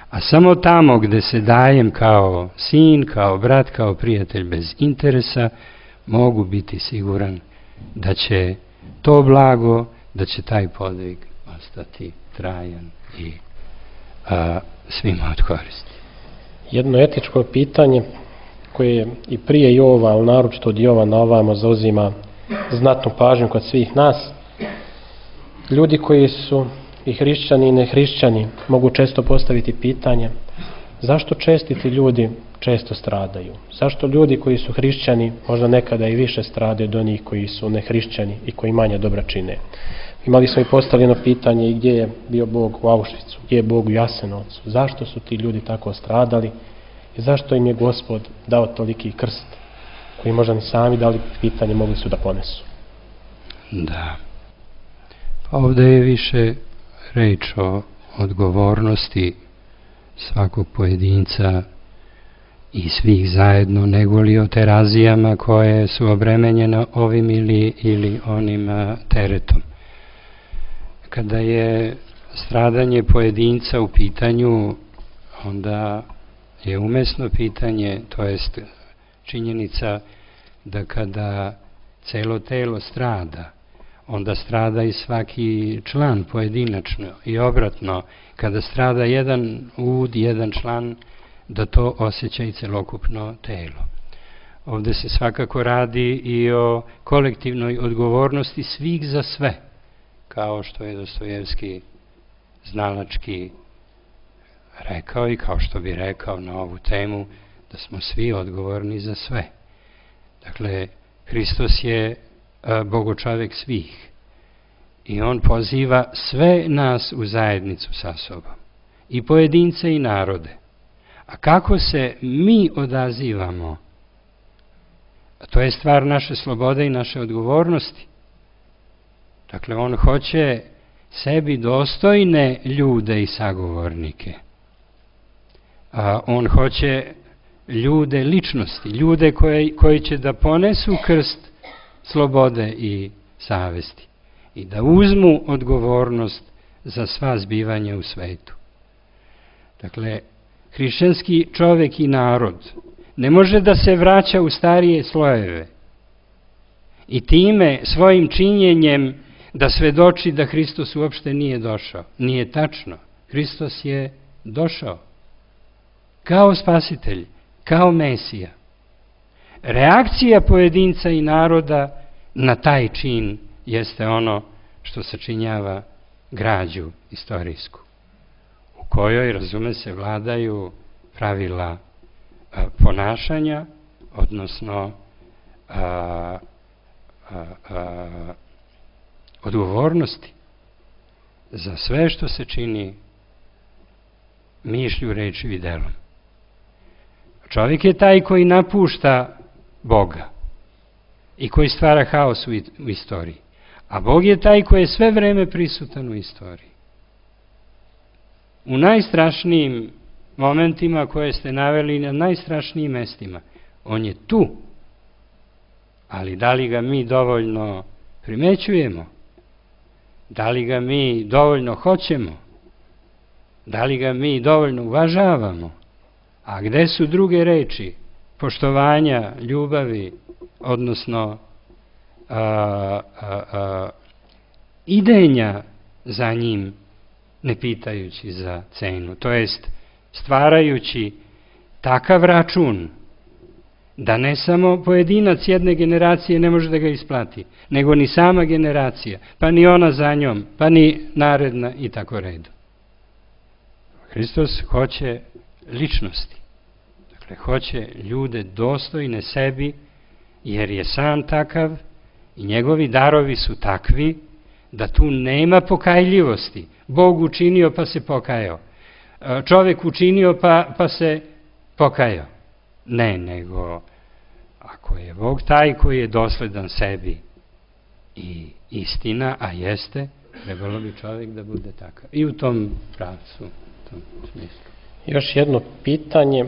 Speaker 2: A samo tamo gde se dajem kao sin, kao brat, kao prijatelj bez interesa, mogu biti siguran da će to blago, da će taj podvig ostati trajan i svima od koristi.
Speaker 3: Jedno etičko pitanje koje i prije Jova, ali naročito od Jova na ovamo zauzima znatnu pažnju kod svih nas. Ljudi koji su i hrišćani i nehrišćani mogu često postaviti pitanje Zašto čestiti ljudi često stradaju? Zašto ljudi koji su hrišćani možda nekada i više stradaju od onih koji su nehrišćani i koji manje dobra čine? Imali smo i postavljeno pitanje i gdje je bio Bog u Auschwitzu, gdje je Bog u Jasenovcu, zašto su ti ljudi tako stradali i zašto im je Gospod dao toliki krst koji možda ni sami dali pitanje mogli su da ponesu.
Speaker 2: Da. Pa ovdje je više reč o odgovornosti svakog pojedinca i svih zajedno, nego li o terazijama koje su obremenjene ovim ili onim teretom. Kada je stradanje pojedinca u pitanju, onda je umesno pitanje, to jest činjenica da kada celo telo strada, onda strada i svaki član pojedinačno i obratno, kada strada jedan ud, jedan član, da to osjeća i celokupno telo. Ovdje se svakako radi i o kolektivnoj odgovornosti svih za sve, kao što je Dostojevski znalački rekao i kao što bi rekao na ovu temu, da smo svi odgovorni za sve. Dakle, Hristos je Bogočovek svih i on poziva sve nas u zajednicu sa sobom, i pojedince i narode. A kako se mi odazivamo, to je stvar naše slobode i naše odgovornosti. Dakle, on hoće sebi dostojne ljude i sagovornike. On hoće ljude ličnosti, ljude koji će da ponesu krst slobode i savesti i da uzmu odgovornost za sva zbivanja u svetu. Dakle, hrišćanski čovjek i narod ne može da se vraća u starije slojeve i time svojim činjenjem da svedoči da Hristos uopšte nije došao. Nije tačno. Hristos je došao kao spasitelj, kao Mesija. Reakcija pojedinca i naroda na taj čin jeste ono što sačinjava građu istorijsku, u kojoj, razume se, vladaju pravila ponašanja, odnosno odgovornosti za sve što se čini mišlju, rečju i delom. Čovjek je taj koji napušta Boga i koji stvara haos u istoriji, a Bog je taj koji je sve vreme prisutan u istoriji. U najstrašnijim momentima koje ste naveli, na najstrašnijim mestima, on je tu, ali da li ga mi dovoljno primećujemo? Da li ga mi dovoljno hoćemo? Da li ga mi dovoljno uvažavamo? A gde su druge reči poštovanja, ljubavi, odnosno idenja za njim, ne pitajući za cenu, to jest stvarajući takav račun da ne samo pojedinac jedne generacije ne može da ga isplati, nego ni sama generacija, pa ni ona za njom, pa ni naredna i tako redu. Hristos hoće ličnosti, dakle hoće ljude dostojne sebi, jer je sam takav i njegovi darovi su takvi da tu nema pokajljivosti. Bog učinio pa se pokajao, čovjek učinio pa se pokajao. Ne, nego ako je Bog taj koji je dosledan sebi i istina, a jeste, trebalo bi čovjek da bude takav. I u tom pravcu, u tom smislu.
Speaker 3: Još jedno pitanje.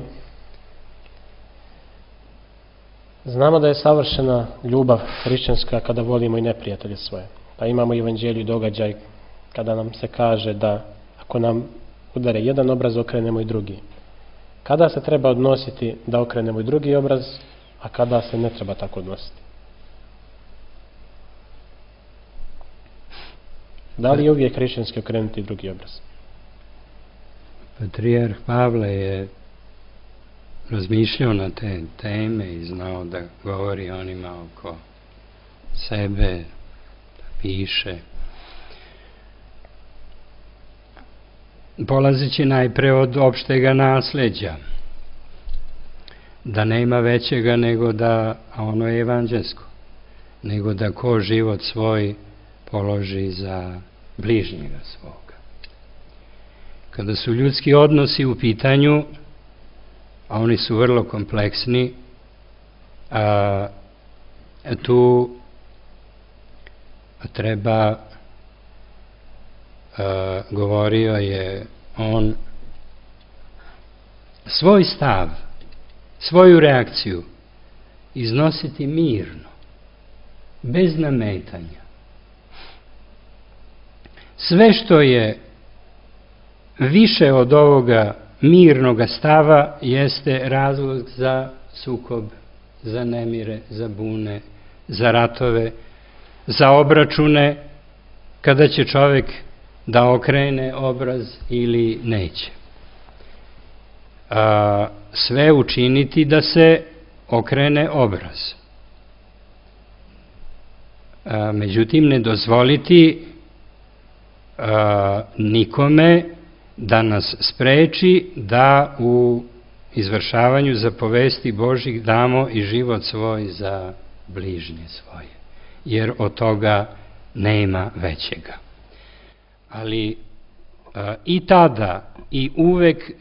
Speaker 3: Znamo da je savršena ljubav hrišćanska kada volimo i neprijatelje svoje. Pa imamo u evanđelju događaj kada nam se kaže da ako nam udare jedan obraz, okrenemo i drugi. Kada se treba odnositi da okrenemo i drugi obraz, a kada se ne treba tako odnositi? Da li je uvijek hrišćanski okrenuti drugi obraz?
Speaker 2: Patrijarh Pavle je razmišljao na te teme i znao da govori onima oko sebe, da piše. polazeći najpre od opštega nasleđa, da nema većega nego da, a ono je evanđelsko, nego da ko život svoj položi za bližnjega svoga. Kada su ljudski odnosi u pitanju, a oni su vrlo kompleksni, tu treba, govorio je on, svoj stav, svoju reakciju iznositi mirno, bez nametanja. Sve što je više od ovoga mirnoga stava jeste razlog za sukob, za nemire, za bune, za ratove, za obračune, kada će čovek da okrene obraz ili neće. Sve učiniti da se okrene obraz. Međutim, ne dozvoliti nikome da nas spreči da u izvršavanju zapovesti Božih damo i život svoj za bližnje svoje, jer od toga nema većega. Ali i tada i uvek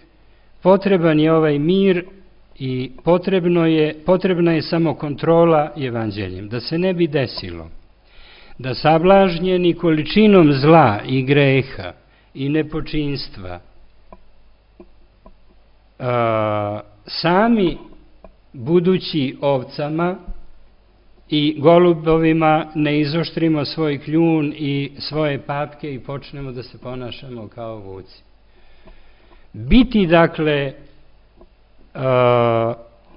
Speaker 2: potreban je ovaj mir i potrebna je samo kontrola evanđeljem, da se ne bi desilo da sablažnjeni količinom zla i greha i nepočinstva sami budući ovcama i golubovima ne izoštrimo svoj kljun i svoje papke i počnemo da se ponašamo kao vuci. Biti, dakle,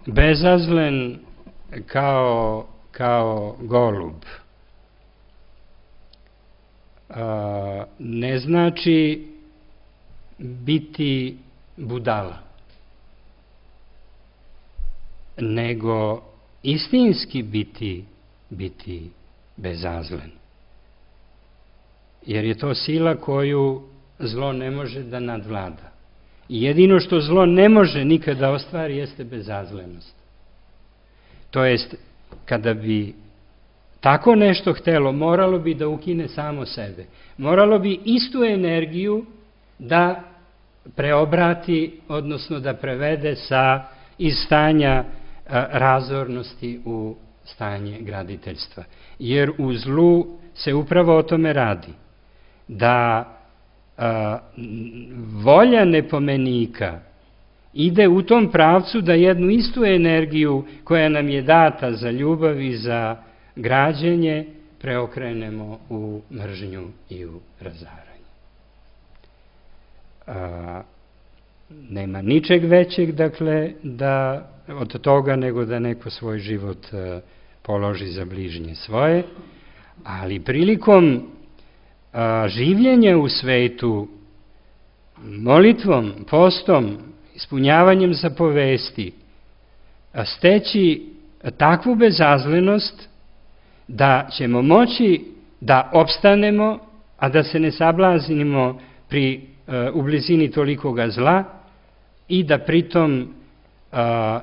Speaker 2: bezazlen kao golub ne znači biti budala, nego istinski biti bezazlen. Jer je to sila koju zlo ne može da nadvlada. I jedino što zlo ne može nikada ostvari jeste bezazlenost. To jest, kada bi tako nešto htelo, moralo bi da ukine samo sebe. Moralo bi istu energiju da preobrati, odnosno da prevede iz stanja razornosti u stanje graditeljstva. Jer u zlu se upravo o tome radi. Da volja nepomenika ide u tom pravcu da jednu istu energiju koja nam je data za ljubav i za građenje preokrenemo u mržnju i u razaranje. Nema ničeg većeg, dakle, od toga nego da neko svoj život položi za bližnje svoje, ali prilikom življenja u svetu, molitvom, postom, ispunjavanjem zapovesti, steći takvu bezazlenost da ćemo moći da opstanemo, a da se ne sablaznimo u blizini tolikoga zla i da pritom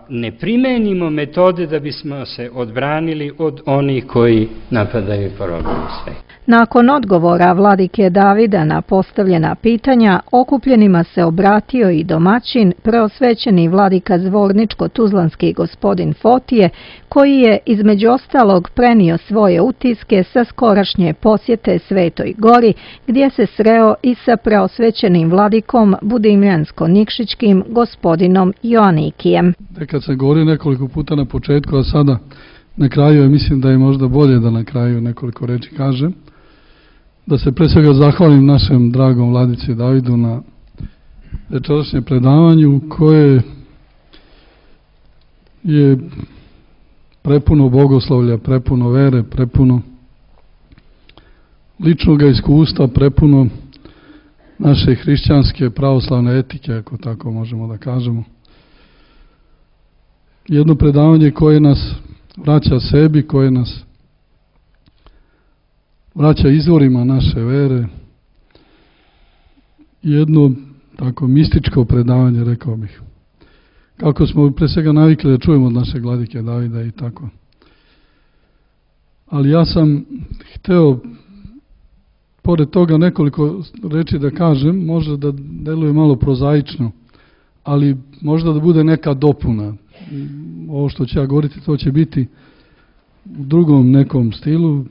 Speaker 2: ne primenimo metode da bismo se odbranili od onih koji napadaju i porobljuju svet.
Speaker 1: Nakon odgovora vladike Davida na postavljena pitanja, okupljenima se obratio i domaćin, preosvećeni vladika Zvorničko-Tuzlanski gospodin Fotije, koji je između ostalog prenio svoje utiske sa skorašnje posjete Svetoj Gori, gdje se sreo i sa preosvećenim vladikom Budimljansko-Nikšićkim gospodinom Joanikijem.
Speaker 4: Kad se govori nekoliko puta na početku, a sada na kraju, mislim da je možda bolje da na kraju nekoliko reči kažem, da se pre svega zahvalim našem dragom vladici Davidu na večerašnjem predavanju koje je prepuno bogoslovlja, prepuno vere, prepuno ličnog iskustva, prepuno naše hrišćanske pravoslavne etike, ako tako možemo da kažemo. Jedno predavanje koje nas vraća sebi, koje nas vraća izvorima naše vere. Jedno tako mističko predavanje, rekao bih. Kako smo pre svega navikli da čujemo od našeg vladike Davida i tako. Ali ja sam hteo, pored toga, nekoliko reči da kažem, možda da deluje malo prozaično, ali možda da bude neka dopuna. Ovo što ću ja govoriti, to će biti u drugom nekom stilu,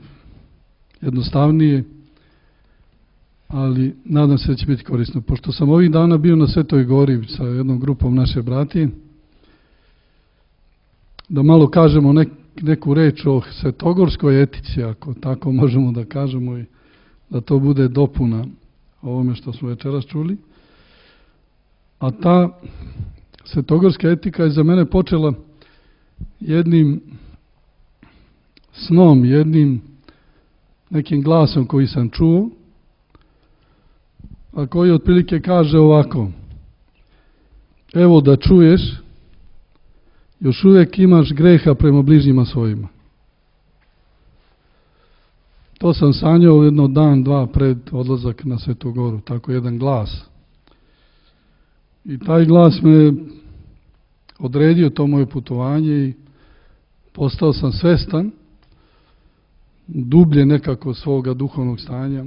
Speaker 4: jednostavnije, ali nadam se da će biti korisno. Pošto sam ovih dana bio na Svetoj Gori sa jednom grupom naše bratije, da malo kažemo neku reč o svetogorskoj etici, ako tako možemo da kažemo, i da to bude dopuna ovome što smo večeras čuli. A ta svetogorska etika je za mene počela jednim snom, jednim nekim glasom koji sam čuo, a koji otprilike kaže ovako: evo da čuješ, još uvijek imaš greha prema bližnjima svojima. To sam sanjao jedno dan, dva pred odlazak na Svetu Goru, tako jedan glas. I taj glas me odredio to moje putovanje i postao sam svestan dublje nekako svoga duhovnog stanja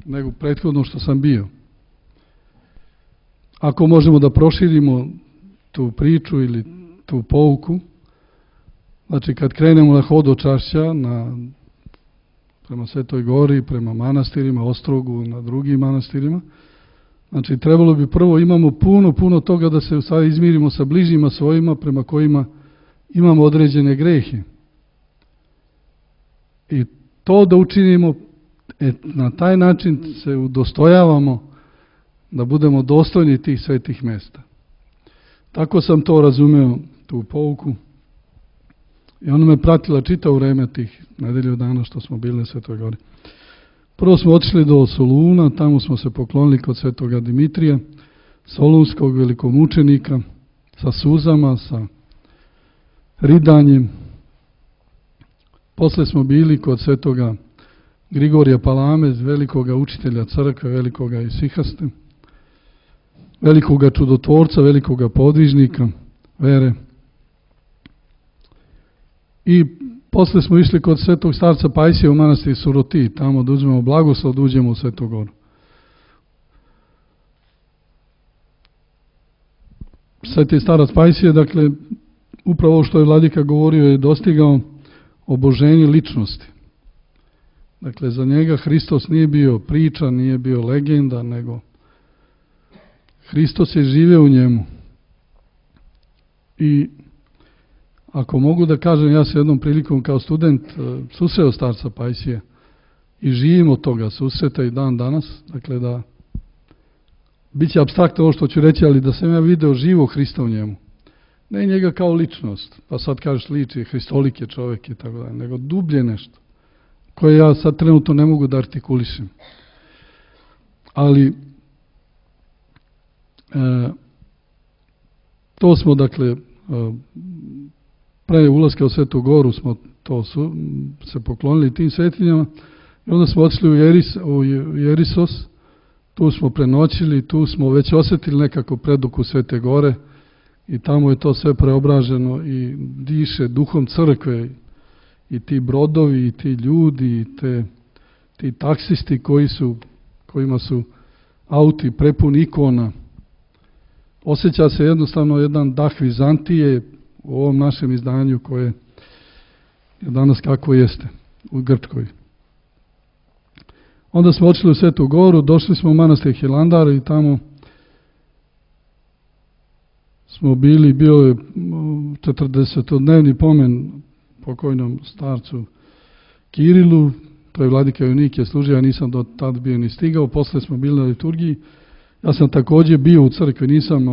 Speaker 4: nego prethodno što sam bio. Ako možemo da proširimo tu priču ili tu pouku, znači kad krenemo na hodočašća prema Svetoj Gori, prema manastirima, Ostrogu, na drugim manastirima, znači trebalo bi prvo, imamo puno toga da se u stvari izmirimo sa bližnjima svojima prema kojima imamo određene grehe. I to da učinimo, na taj način se udostojavamo da budemo dostojni tih svetih mesta. Tako sam to razumeo, tu pouku. I ona me pratila čitavo vreme tih nedelju dana što smo bili na Svetoj Gori. Prvo smo otišli do Soluna, tamo smo se poklonili kod Svetoga Dimitrija, solunskog velikomučenika, sa suzama, sa ridanjem. Posle smo bili kod Svetoga Grigorija Palame, velikoga učitelja crkve, velikoga isihaste, velikoga čudotvorca, velikoga podvižnika vere. I posle smo išli kod Svetog starca Pajsija u manastir Suroti, tamo da uzmemo blagoslov, da uđemo u Svetu Goru. Sveti starac Pajsije, dakle, upravo što je vladika govorio, je dostigao oboženje ličnosti. Dakle, za njega Hristos nije bio priča, nije bio legenda, nego Hristos je živeo u njemu. I ako mogu da kažem, ja se jednom prilikom kao student susreo starca Pajsija i živim od toga susreta i dan danas, dakle da bit će apstraktno ovo što ću reći, ali da sam ja video živo Hrista u njemu. Ne njega kao ličnost, pa sad kažeš liči, hristolik je čovjek i tako dalje, nego dublje nešto, koje ja sad trenutno ne mogu da artikulišem. Ali to smo, dakle, pre ulaska u Svetu Goru smo se poklonili tim svetinjama i onda smo otišli u Jerisos, tu smo prenoćili, tu smo već osjetili nekako preduku Svete Gore i tamo je to sve preobraženo i diše duhom crkve i ti brodovi i ti ljudi i ti taksisti kojima su auti prepuni ikona. Osjeća se jednostavno jedan dah Vizantije u ovom našem izdanju koje je danas kako jeste u Grčkoj. Onda smo odšli u Svetu Goru, došli smo u manastir Hilandar i tamo smo bili, bio je 40-dnevni pomen pokojnom starcu Kirilu, to je vladika Junike služio, ja nisam do tad bio ni stigao, posle smo bili na liturgiji, ja sam također bio u crkvi, nisam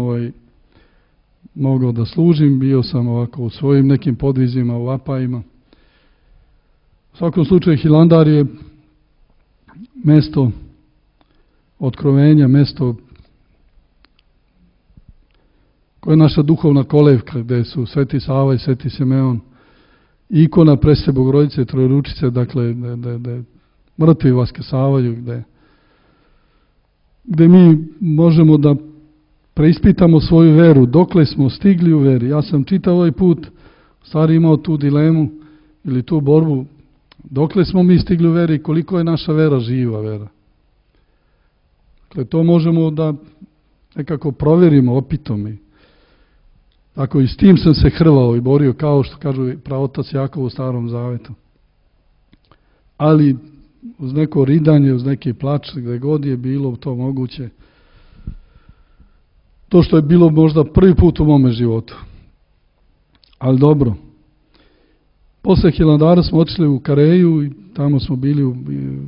Speaker 4: mogao da služim, bio sam ovako u svojim nekim podvizima, u vapajima. U svakom slučaju Hilandar je mesto otkrovenja, mesto koje je naša duhovna kolevka, gde su Sveti Sava i Sveti Simeon, ikona Presvete Bogorodice, Trojeručice, dakle, gde mrtvi vaskrsavaju, gde mi možemo da preispitamo svoju veru, dokle smo stigli u veri. Ja sam čitao ovaj put, stvari imao tu dilemu ili tu borbu, dokle smo mi stigli u veri i koliko je naša vera živa vera. Dakle, to možemo da nekako provjerimo opitom. I tako i s tim sam se hrvao i borio, kao što kažu praotac Jakov u Starom Zavetu. Ali uz neko ridanje, uz neki plač, gde god je bilo to moguće, to što je bilo možda prvi put u mome životu. Ali dobro. Posle Hilandara smo otišli u Kareju i tamo smo bili u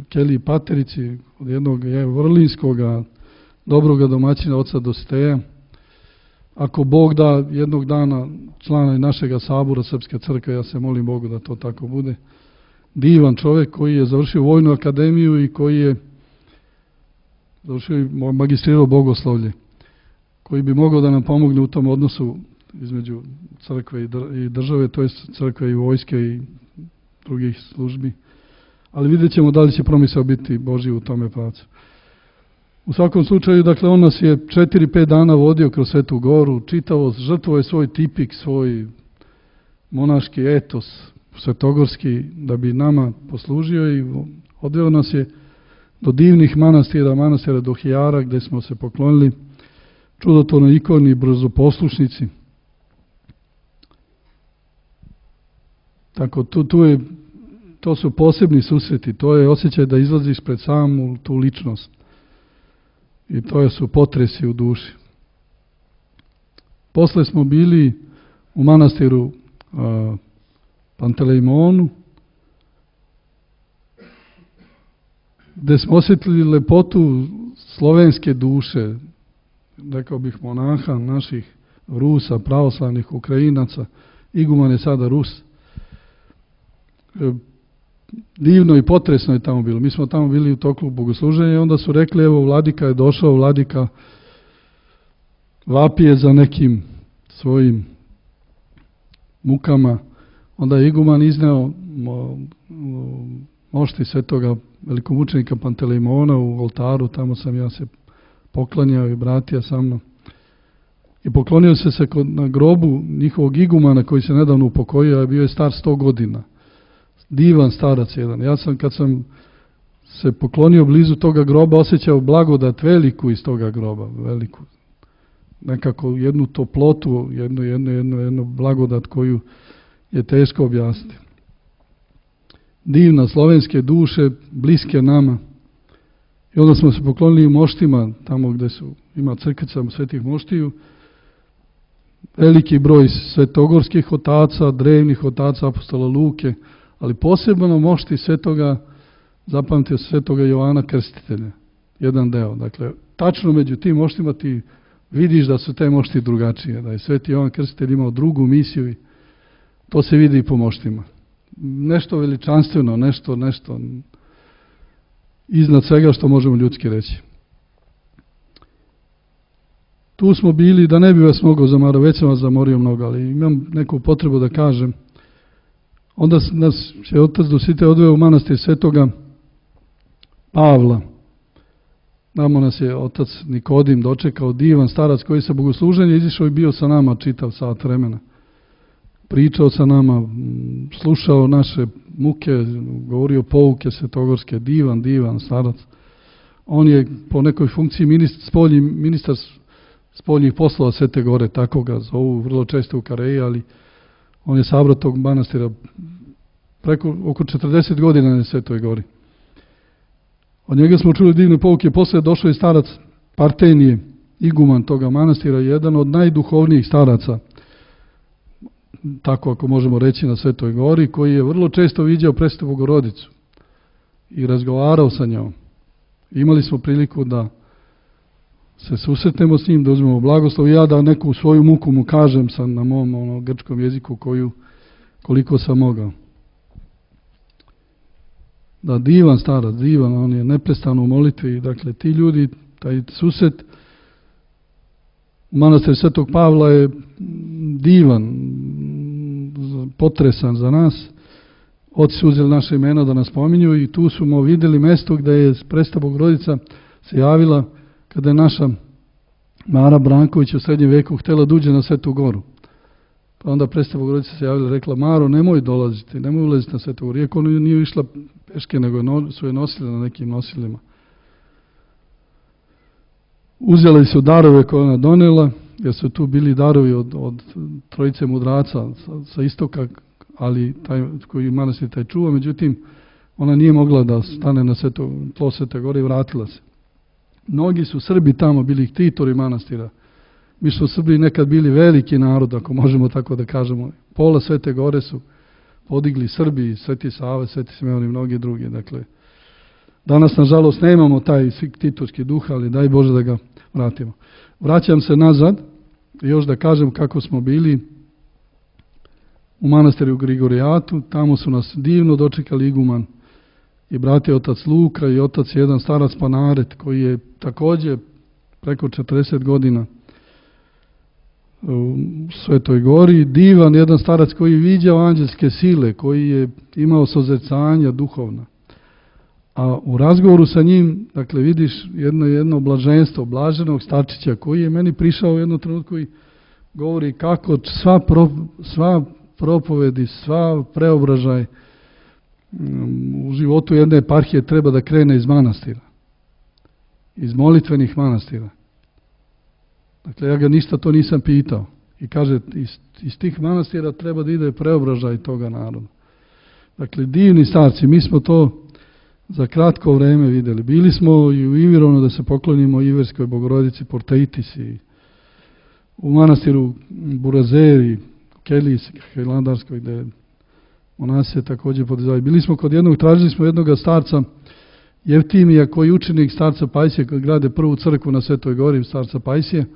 Speaker 4: Keliji Paterici od jednog vrlinskog dobroga domaćina oca Dositeja. Ako Bog da jednog dana člana našega sabora Srpske crkve, ja se molim Bogu da to tako bude. Divan čovjek koji je završio vojnu akademiju i koji je završio i magistrirao bogoslovlje, koji bi mogao da nam pomogne u tom odnosu između crkve i države, to je crkve i vojske i drugih službi. Ali vidjet ćemo da li će promisao biti Božji u tome pravcu. U svakom slučaju, dakle, on nas je 4-5 dana vodio kroz Svetu Goru, čitavo, žrtvo je svoj tipik, svoj monaški etos svetogorski, da bi nama poslužio i odveo nas je do divnih manastira do Hijara, gde smo se poklonili čudotvornoj ikoni i brzoposlušnici. Tako, to su posebni susreti, to je osjećaj da izlaziš pred samu tu ličnost. I to su potresi u duši. Posle smo bili u manastiru Pantelejmonu, gde smo osjetili lepotu slovenske duše, rekao bih monaha, naših Rusa, pravoslavnih Ukrajinaca, iguman je sada Rus. Divno i potresno je tamo bilo. Mi smo tamo bili u toku bogosluženja i onda su rekli, evo, vladika je došao, vladika vapije za nekim svojim mukama. Onda je iguman izneo mošti svetoga velikomučenika Pantelejmona u oltaru, tamo sam ja se poklanjao i bratija sa mnom. I poklonio se na grobu njihovog igumana koji se nedavno upokojio, a bio je star 100 godina. Divan starac jedan. Ja sam, kad sam se poklonio blizu toga groba, osjećao blagodat veliku iz toga groba, veliku. Nekako jednu toplotu, jednu blagodat koju je teško objasniti. Divna slovenske duše, bliske nama. I onda smo se poklonili moštima, tamo gde ima crkvica svetih moštiju, veliki broj svetogorskih otaca, drevnih otaca apostola Luke, ali posebno mošti svetoga, zapamtio svetoga Jovana Krstitelja, jedan deo. Dakle, tačno među tim moštima ti vidiš da su te mošti drugačije, da je sveti Jovan Krstitelj imao drugu misiju i to se vidi i po moštima. Nešto veličanstveno, nešto iznad svega što možemo ljudski reći. Tu smo bili, da ne bi vas mogao zamarao, već sam vas zamorio mnogo, ali imam neku potrebu da kažem. Onda nas je otac Dositej odveo u manastir svetoga Pavla. Tamo nas je otac Nikodim dočekao, divan starac koji sa bogosluženja izišao i bio sa nama čitav sat vremena. Pričao sa nama, slušao naše muke, govorio pouke svetogorske, divan starac. On je po nekoj funkciji ministar spoljnih poslova Svete Gore, tako ga zovu vrlo često u Kareji, ali on je sabrao tog manastira oko 40 godina na Svetoj Gori. Od njega smo čuli divne pouke, posle je došao i starac Partenije, iguman toga manastira, jedan od najduhovnijih staraca, tako ako možemo reći, na Svetoj Gori, koji je vrlo često viđao Presvetu Bogorodicu i razgovarao sa njom. Imali smo priliku da se susretnemo s njim, da uzmemo blagoslov i ja da neku svoju muku mu kažem sam na mom grčkom jeziku koliko sam mogao. Da, divan starac, divan, on je neprestano u molitvi. Dakle, ti ljudi, taj susret u manastiru Svetog Pavla je divan, potresan za nas. Oci su uzeli naše imena da nas pominju i tu smo vidjeli mesto gde je Presveta Bogorodica se javila kada je naša Mara Branković u srednjem veku htjela da uđe na Svetu Goru. Pa onda Presveta Bogorodica se javila i rekla: Maro, nemoj dolaziti, nemoj ulaziti na Svetu Goru. Iako ona nije išla peške, nego su je nosile na nekim nosilima. Uzeli su darove koje ona donela, jer su tu bili darovi od trojice mudraca sa istoka, ali koji manastir taj čuva. Međutim, ona nije mogla da stane na tlo Svete Gore i vratila se. Mnogi su Srbi tamo bili ktitori manastira. Mi su Srbi nekad bili veliki narod, ako možemo tako da kažemo. Pola Svete Gore su podigli Srbi, Sveti Sava, Sveti Simeon i mnogi drugi. Dakle, danas, nažalost, nemamo taj ktitorski duh, ali daj Bože da ga vratimo. Vraćam se nazad i još da kažem kako smo bili u manastiru Grigorijatu. Tamo su nas divno dočekali iguman i bratje otac Luka i otac jedan starac Panaret, koji je također preko 40 godina u Svetoj Gori. Divan jedan starac koji je viđao anđelske sile, koji je imao sozrcanja duhovna. A u razgovoru sa njim, dakle, vidiš jedno blaženstvo blaženog starčića koji je meni prišao u jednom trenutku i govori kako sva propovedi, sva preobražaj u životu jedne eparhije treba da krene iz manastira, iz molitvenih manastira. Dakle, ja ga ništa to nisam pitao. I kaže, iz tih manastira treba da ide preobražaj toga naroda. Dakle, divni starci, mi smo to za kratko vreme vidjeli. Bili smo i u Ivirovnu da se poklonimo Iverskoj Bogorodici Portaitis i u manastiru Burazeri, Keliji Hilandarskoj, gde monasi se također podizavaju. Bili smo kod tražili smo jednog starca Jeftimija, koji je učenik starca Pajsije, koji grade prvu crkvu na Svetoj Gori, starca Pajsije.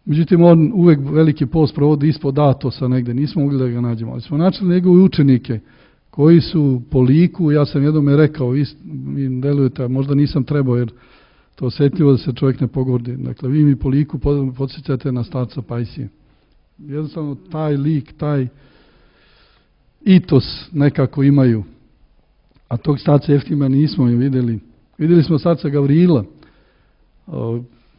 Speaker 4: Međutim, on uvek veliki post provodi ispod Atosa negde, nismo mogli da ga nađemo. Ali smo načeli njegove učenike koji su po liku, ja sam jednom je rekao, vi delujete, možda nisam trebao, jer to osjetljivo da se čovjek ne pogordi. Dakle, vi mi po liku podsjećate na starca Pajsije. Jednostavno, taj lik, taj itos nekako imaju. A tog starca Jeftima nismo vidjeli. Vidjeli smo starca Gavrila,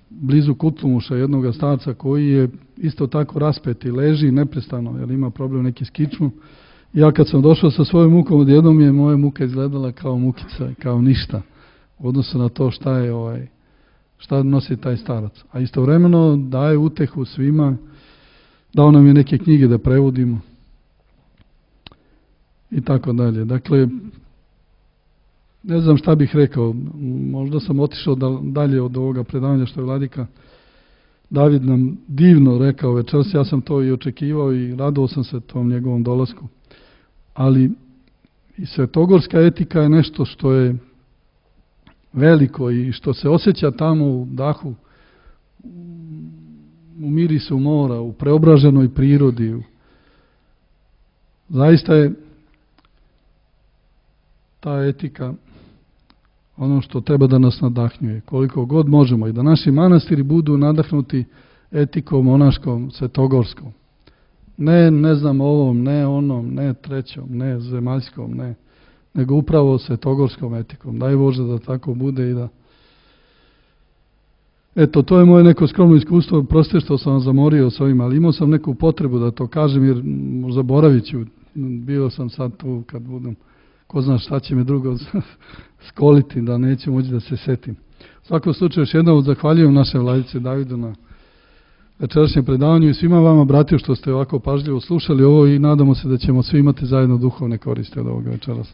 Speaker 4: blizu Kutlumuša, jednog starca koji je isto tako raspet i leži neprestano, jer ima problem neki s kičmom. Ja kad sam došao sa svojom mukom, odjednom je moja muka izgledala kao mukica, kao ništa, u odnosu na to šta nosi taj starac. A istovremeno daje utehu svima, dao nam je neke knjige da prevodimo i tako dalje. Dakle, ne znam šta bih rekao, možda sam otišao dalje od ovoga predavanja što je vladika David nam divno rekao večeras, ja sam to i očekivao i radovao sam se tom njegovom dolasku. Ali i svetogorska etika je nešto što je veliko i što se osjeća tamo u dahu, u mirisu mora, u preobraženoj prirodi. Zaista je ta etika ono što treba da nas nadahnjuje, koliko god možemo, i da naši manastiri budu nadahnuti etikom monaškom, svetogorskom. Ne znam ovom, ne onom, ne trećom, ne zemaljskom, ne, nego upravo svetogorskom etikom. Daj Bože da tako bude i da... Eto, to je moje neko skromno iskustvo, proste što sam vam zamorio s ovim, ali imao sam neku potrebu da to kažem, jer zaboravit ću, bio sam sad tu kad budem, ko zna šta će me drugo skoliti, da neću moći da se setim. U svakom slučaju, još jednom zahvaljujem naše vladice Davidu na večerašnjem predavanju i svima vama, bratio, što ste ovako pažljivo slušali ovo i nadamo se da ćemo svi imati zajedno duhovne koristi od ovoga večeras.